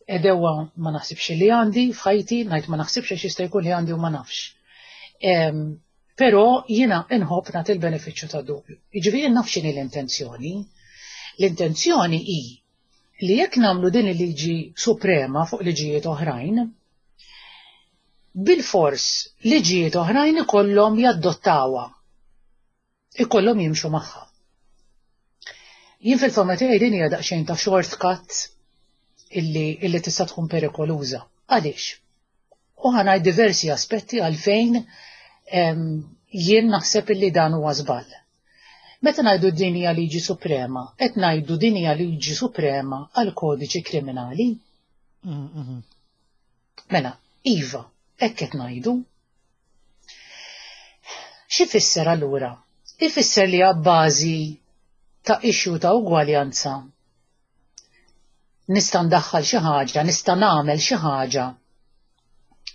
għedewwa ma naħsibx li għandi f'ħajti, ngħid ma naħsibx għax jista' jkun li għandi u ma nafx. Però jiena nħobb nagħti il-benefiċċju ta' dubju. Jiġifieri naf x'inhi l-intenzjoni. L-intenzjoni hi li jekk nagħmlu din il-liġi suprema fuq liġijiet oħrajn, bil-fors liġijiet oħrajn ikollhom jaddottawha. Ikollhom jimxu magħha. Jien fil-fehma tiegħi din hija daqsxejn ta' shortcut illi, illi tista' tkun perikoluża. Għaliex? U ħa ngħid diversi aspetti għalfejn jien naħseb illi dan huwa żball. Meta ngħidu din hija liġi suprema, qed ngħidu din hija liġi suprema għal kodiċi kriminali. Mm-hmm. Mela, iva, hekk qed ngħidu. X'ifisser allura? Ifisser li bażi ta' issue ta' ugwaljanza Nista' ndaħħal xi ħaġa, nista' nagħmel xi ħaġa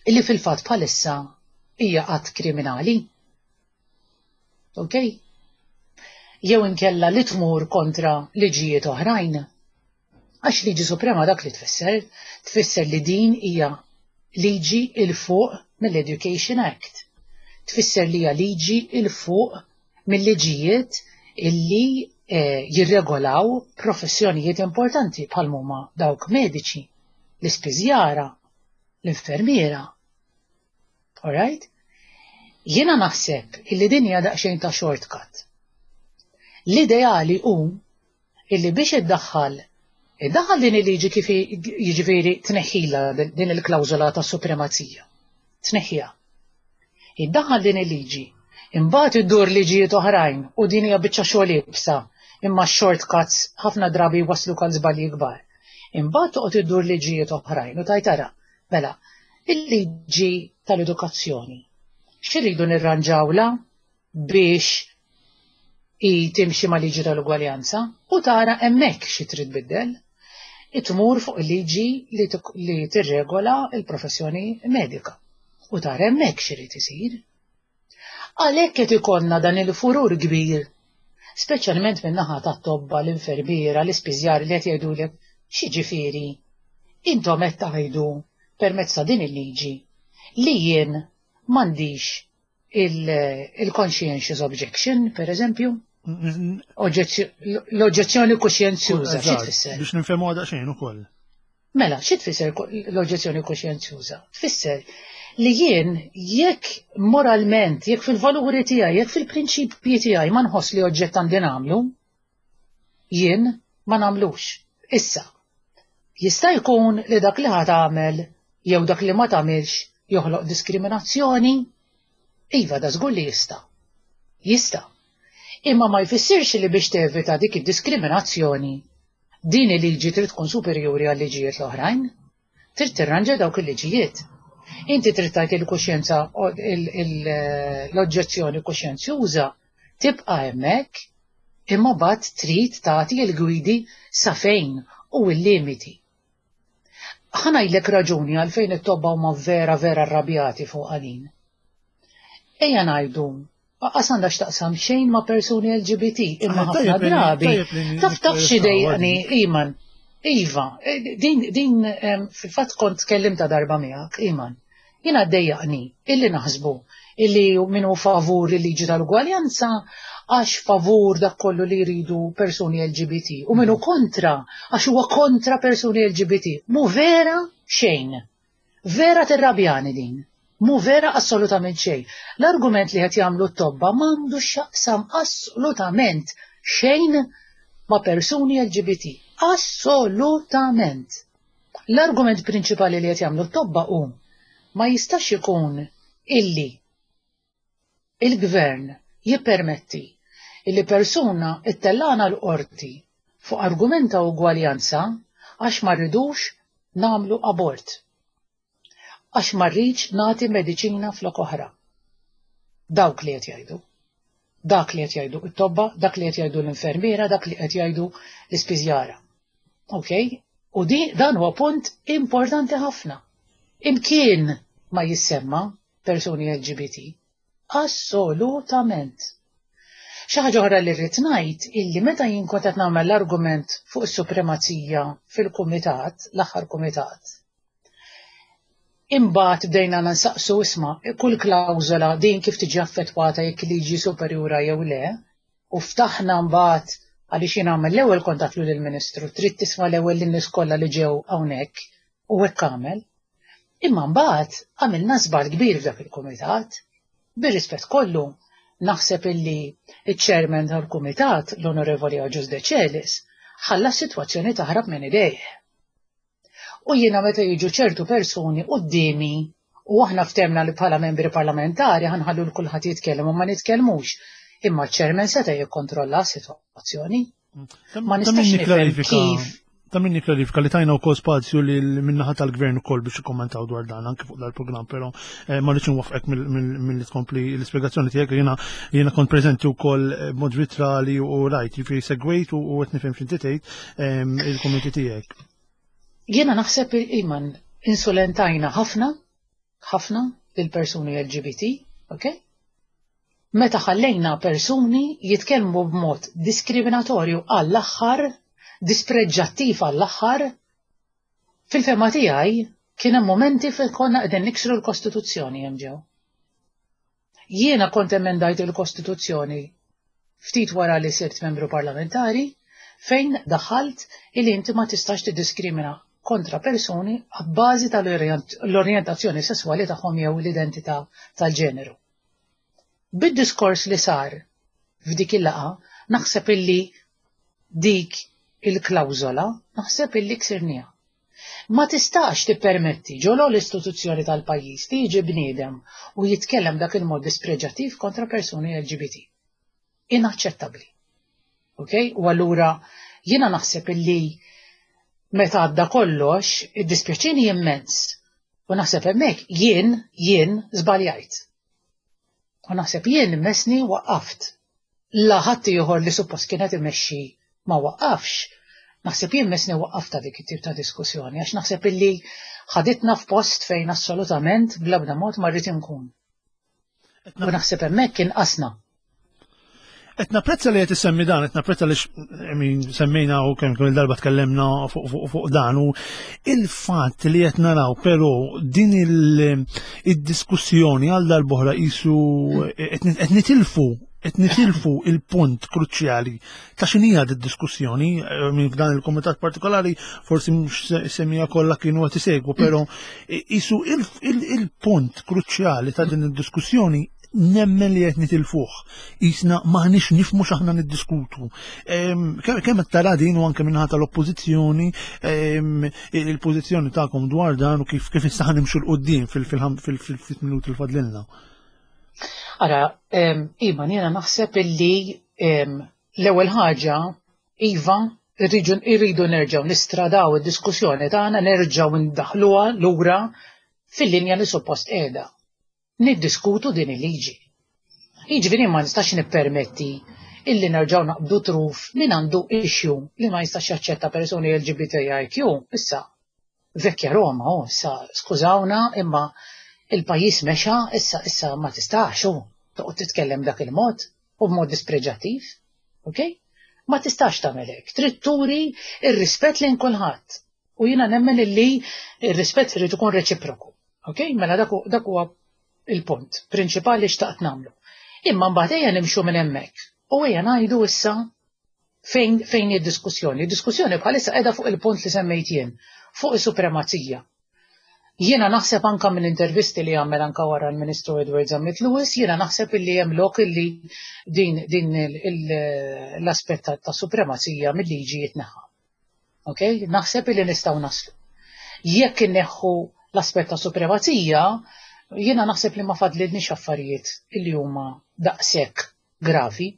illi fil-fatt bħalissa hija qatt kriminali. Ok? Jew inkella li tmur kontra liġijiet oħrajn. Għax liġi suprema dak li tfisser, tfisser li din hija liġi 'il fuq mill-Education Act. Tfisser li hija liġi 'il fuq mill-liġijiet illi eh, jirregolaw professjonijiet importanti bħal huma dawk mediċi, l-ispiżjara, l-infermiera. Alright? Jiena naħseb illi din hija daqsxejn ta' shortcut. L-ideali hu illi biex iddaħħal iddaħħal din il-liġi kif jiġifieri tneħħila din il-klawżola ta' supremazija. Tneħħiha. Iddaħħal din il-liġi, imbagħad iddur liġijiet oħrajn u din hija biċċa xogħol iebsa, imma shortcuts ħafna drabi waslu għal żbalji kbar. Imbagħad toqgħod iddur liġijiet oħrajn u tgħid ara, mela, il-liġi tal-edukazzjoni. X'irridu nirranġawla biex i timxi ma' liġi tal-ugwaljanza u tara hemmhekk xi trid biddel. Itmur fuq il-liġi li, li tirregola il-professjoni medika u tara hemmhekk x'irid isir. Għalhekk qed ikollna dan il-furur kbir, speċjalment minn naħa tat-tobba, l-infermiera, l-ispiżjar li qed jgħidulek x'jiġifieri intom qed tgħidu permezz ta' din il-liġi li jien m'għandix il-conscientious objection, per eżempju, l-oġġezzjoni kuxjenzjuża, xi tfisser? Biex nifhmu għada xejn ukoll. Mela, xi tfisser l-oġġezzjoni kuxjenzjuża? Tfisser li jien jekk moralment, jekk fil-valuri tiegħi, jekk fil-prinċipji tiegħi ma nħoss li oġġett għandi nagħmlu, jien ma nagħmlux. Issa, jista' jkun li dak li ħa tagħmel jew dak li ma tagħmilx joħloq diskriminazzjoni? Iva, da żgur li jista'. Jista'. Imma ma jfissirx li biex tevita dik id-diskriminazzjoni din il-liġi trid tkun superjuri għal liġijiet l-oħrajn. Trid tirranġa dawk il-liġijiet. Inti trid tgħid il-kuxjenza l-oġġezzjoni kuxjenzjuża tibqa' hemmhekk imma mbagħad trid tagħti l-gwidi sa fejn u l-limiti. Ħa ngħidlek raġuni għalfejn it-tobba huma vera vera arrabjati fuq għalin. Ejja ngħidu Qas għandha x'taqsam xejn ma' persuni L G B T, imma Ah, ħafna tajjeb li- drabi. tajjeb li Taf taf xi dejqni, Iman. Iva, eh, din din em, fil-fatt kont tkellimta darba miegħek, Iman. Jiena dejjaqni illi naħsbu illi min hu favur il-liġi tal-ugwaljanza għax favur dak kollu li jridu persuni L G B T u min hu kontra għax huwa kontra persuni L G B T. Mu vera xejn. Vera tirrabjani din. Mu vera assolutament xejn. L-argument li qed jagħmlu t-tobba m'għandu x'jaqsam assolutament xejn ma' persuni L G B T. Assolutament. L-argument prinċipali li qed jagħmlu t-tobba hu ma jistax ikun illi il-gvern jippermetti illi persuna ittellana l-qorti fuq argument ta' ugwaljanza għax ma rridux nagħmlu abort. Għax ma rridx nagħti mediċina flok oħra. Dawk li qed jgħidu. Dak li qed jgħidu it-tobba, dak li qed jgħidu l-infermiera, dak li qed jgħidu l-ispiżjara. Ok? U di dan huwa punt importanti ħafna. Imkien ma jissemma persuni L G B T. Assolutament. Xi ħaġa oħra li rrid ngħid illi meta jien kont qed nagħmel l-argument fuq is-supremazija fil-kumitat, l-aħħar kumitat, imbagħad bdejna nsaqsu, isma', kull klawżola din kif tiġi affettwata jekk liġi superjura jew le, u ftaħna mbagħad għaliex jien għamel l-ewwel kontattlu lill-Ministru, trid tisma' l-ewwel lin-nies kollha li ġew hawnhekk u hekk għamel. Imma mbagħad għamilna żball kbir f'dak il-kumitat. Bir-rispett kollu, naħseb illi iċ-chairman tal-kumitat, l-Onorevoli Agius Decelis, ħalla s-sitwazzjoni taħrab minn idejh. U jiena meta jiġu ċertu persuni quddiemi u aħna ftemna li bħala membri parlamentari ħa nħallu 'l kulħadd jitkellem u ma nitkellmux. Imma ċ-chairman seta' jikkontrolla s-sitwazzjoni. Ma nistax nifhem kif. Ta' minni klarifika li tajna wkoll spazju li min-naħa tal-gvern ukoll biex ikkommentaw dwar dan anke fuq dal-programm, però eh, ma rridx nwaqqfek mill-li tkompli l-ispjegazzjoni tiegħek. Jiena jiena kont preżenti wkoll eh, b'mod vitrali u rajt, jiġifieri segwejt u qed nifhem x'inti tgħid ehm, il-kummenti tiegħek. Jiena naħseb, Iman, insulentajna ħafna, ħafna lil persuni L G B T, ok? Meta ħallejna persuni jitkellmu b'mod diskriminatorju għall-aħħar, dispreġġattiv għall-aħħar, fil-fehma tiegħi kien hemm momenti fejn konna qegħdin niksru l-Kostituzzjoni hemm ġew. Jiena kont emendajt il-Kostituzzjoni ftit wara li sirt membru parlamentari, fejn daħalt illi inti ma tistax tiddiskrimina kontra persuni għabbażi tal-orjentazzjoni sessuali tagħhom jew l-identità tal-ġeneru. Bid-diskors li sar f'dik il-laqgħa, naħseb illi dik il-klawżola naħseb illi ksirniha. Ma tistax tippermetti ġo l-istituzzjoni tal-pajjiż li jiġi bniedem u jitkellem dak il-mod dispreġattiv kontra persuni L G B T. Inaċċettabbli. Ok? U allura jiena naħseb illi meta għadda kollox, iddispjaċini immens. U naħseb hemmhekk jien, jien żbaljajt. U naħseb jien messni waqqaft. La ħadd ieħor li suppost kienet imexxi ma waqqafx. Naħseb jien messni waqqafta dik it-tip ta' diskussjoni, għax naħseb illi ħaditna f'post fejn assolutament bl-ebda mod ma rrid inkun. U naħseb hemmhekk kien qasna. Qed napprezza li qed issemmi dan, qed napprezza li, I mean, semmejna u kemm kemm il-darba tkellemna fuq fuq fuq dan u il-fatt li qed naraw però din il-diskussjoni għal darb'oħra qisu qed nitilfu qed nitilfu il-punt kruċjali ta' x'inhija d-diskussjoni. Minn f'dan il-komitat partikolari forsi mhux semmija kollha kienu qed isegwu, però qisu il-punt kruċjali ta' din id-diskussjoni nemmen li qed nitilfuh. Qisna m'aħniex nifhmu x'aħna niddiskutu. Kemm qed tara din u anke minnaħa tal-oppożizzjoni, il-pożizzjoni tagħkom dwar dan u kif kif issa nimxu 'l quddiem fil-ftit minuti li fadlilna? Ara, Iva, jiena naħseb illi l-ewwel ħaġa, iva, irridu nerġgħu nistradaw id-diskussjoni tagħna, nerġgħu ndaħluha lura fil-linja li suppost qiegħda. Niddiskutu din il-liġi. Jiġifieri ma nistax nippermetti illi nerġgħu naqbdu truf min għandu issue li ma jistax jaċċetta persuni L G B T I Q. Issa, vecchia Roma, oh, issa, skużawna, imma il-pajjiż mexa, issa, issa ma tistax, oh, toqgħod titkellem dak il-mod u b'mod dispreġattiv, ok? Ma tistax tagħmel hekk. Trid turi ir-rispett lejn kulħadd. U jiena nemmen illi ir-rispett irid ikun reċiproku. Ok? Mela dak huwa il-punt prinċipali xtaqt nagħmlu. Imma mbagħad ejja nimxu minn hemmhekk. U ejja ngħidu issa fejn fejn id-diskussjoni. Id-diskussjoni bħalissa qiegħda fuq il-punt li semmejt jien, fuq is-supremazija. Jiena naħseb anka minn intervisti li għamel anka wara l-Ministru Edward Zammit Lewis, jiena naħseb illi hemm lok illi din, din l-aspett ta' supremazija mill-liġi jitneħħa. Ok? Naħseb illi nistgħu naslu. Jekk inneħħu l-aspett ta' supremazija, jiena naħseb li ma fadlilniex affarijiet illi huma daqshekk gravi.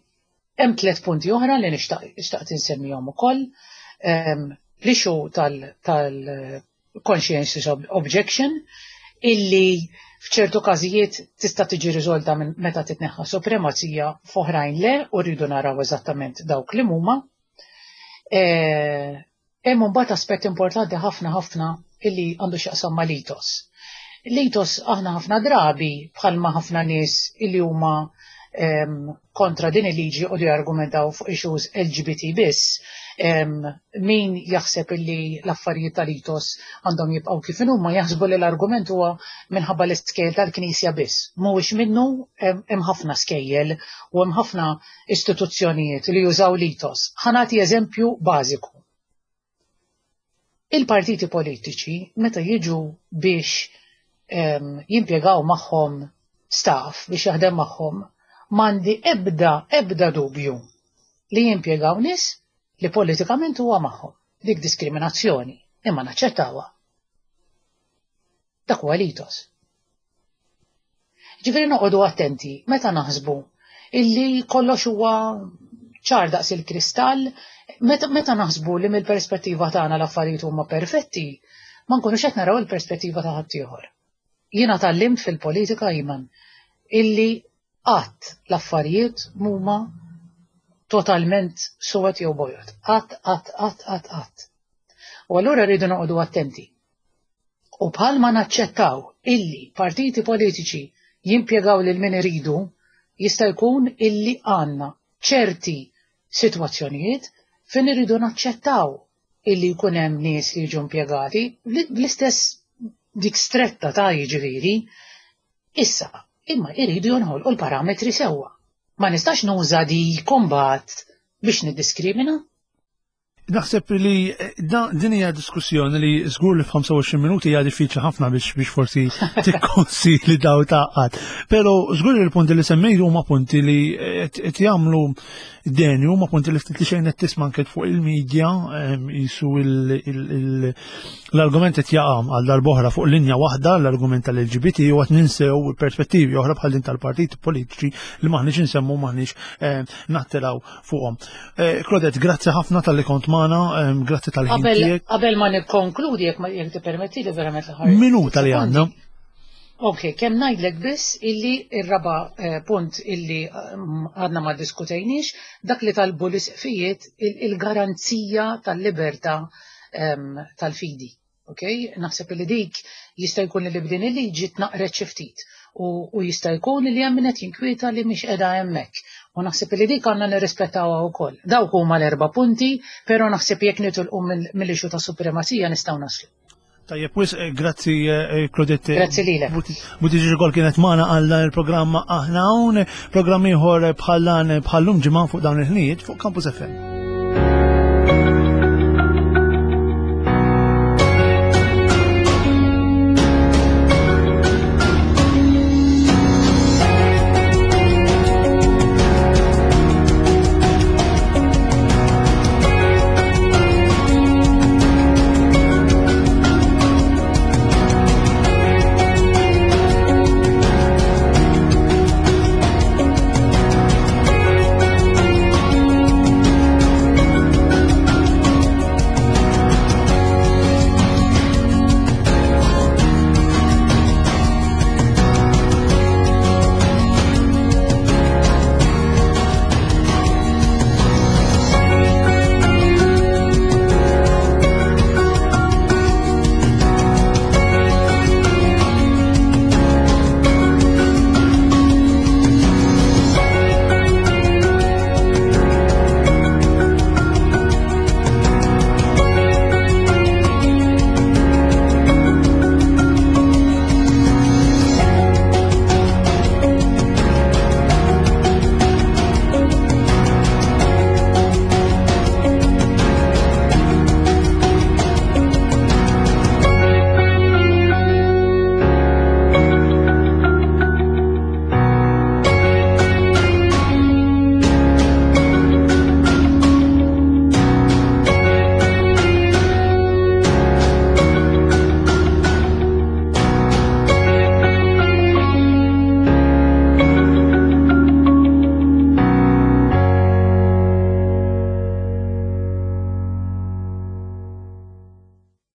Hemm tliet punti oħra li nixtaq insemmihom ukoll. L-issue tal-conscientious objection, illi f'ċertu każijiet tista' tiġi riżolta minn meta titneħħa supremazija, f'oħrajn le, u rridu naraw eżattament dawk li huma. Hemm mbagħad aspett importanti ħafna ħafna illi għandu x'jaqsam mal-ethos. L-ethos, aħna ħafna drabi, bħalma ħafna nies illi huma kontra din il-liġi u li argumentaw fuq issues L G B T biss, min jaħseb illi l-affarijiet tal-ethos għandhom jibqgħu kif huma, jaħsbu li l-argument huwa minħabba l-iskejjel tal-Knisja biss. Mhuwiex minnu, hemm ħafna skejjel u hemm ħafna istituzzjonijiet li jużaw l-ethos. Ħa nagħti eżempju bażiku. Il-partiti politiċi meta jiġu biex jimpjegaw magħhom staff biex jaħdem magħhom, m'għandi ebda ebda dubju li jimpjegaw nies li politikament huwa magħhom. Dik diskriminazzjoni, imma naċċettawha. Dak huwa l-ethos. Ġifieri noqogħdu attenti meta naħsbu illi kollox huwa ċar daqs il-kristall, meta, meta naħsbu li mill-perspettiva tagħna l-affarijiet huma perfetti, ma nkunux qed naraw il-perspettiva ta' ħaddieħor. Jiena tgħallimt fil-politika, Iman, illi qatt l-affarijiet mhuma totalment suwed jew bojod. Qatt, qatt, qatt, qatt, qatt. U allura rridu noqogħdu attenti. U bħalma naċċettaw illi partiti politiċi jimpjegaw lil min iridu, jista' jkun illi għandna ċerti sitwazzjonijiet fejn irridu naċċettaw illi jkun hemm nies li jiġu impjegati bl-istess dik stretta ta' jiġifieri. Issa, imma jridu jonħolqu l-parametri sewwa. Ma nistax nuża di kombat biex niddiskrimina. Naħseb li eh, din hija diskussjoni li żgur li f'ħamsa u għoxrin minuti hija diffiċli ħafna biex biex forsi tikkonsi li daw taqgħad. Però żgur li l-punti li semmejt huma punti li qed jagħmlu deni, huma punti li ftit li xejn qed tisma' anke fuq il-medja, jisu l-argument qed jaqa' għal darb'oħra fuq linja waħda, l-argument tal-L G B T, u qed ninsew perspettivi oħra bħal din tal-partiti politiċi li maħniex insemmu, maħniex nattiraw fuqhom. Eh, Claudette, grazzi ħafna talli kont magħna, grazzi tal-ħin tiegħek. Qabel ma nikkonkludi, jekk ma jekk tippermetti li verament l-aħħar. Minuta li għandna. Ok, kemm ngħidlek biss illi ir-raba eh, punt illi mm, għadna ma diskutejniex, dak li talbu l-isqfijiet, il-garanzija tal-libertà tal-fidi. Ok, naħseb li dik jista' jkun li b'din il-liġi tnaqret xi ftit u jista' jkun li hemm min qed jinkwieta li mhix qiegħda hemmhekk. U naħseb li dik għandna nirrispettawha wkoll. Dawk huma l-erba' punti, però naħseb jekk nitilqu mill-issue ta' supremazija nistgħu naslu. Tajjeb, wis, eh, grazzi eh, Claudette. Grazzi lilek. Buttigieg ukoll kienet magħna għal dan il-programma. Aħna hawn programm ieħor bħal dan bħal-lum ġimgħa fuq dawn il-ħinijiet fuq Campus F M.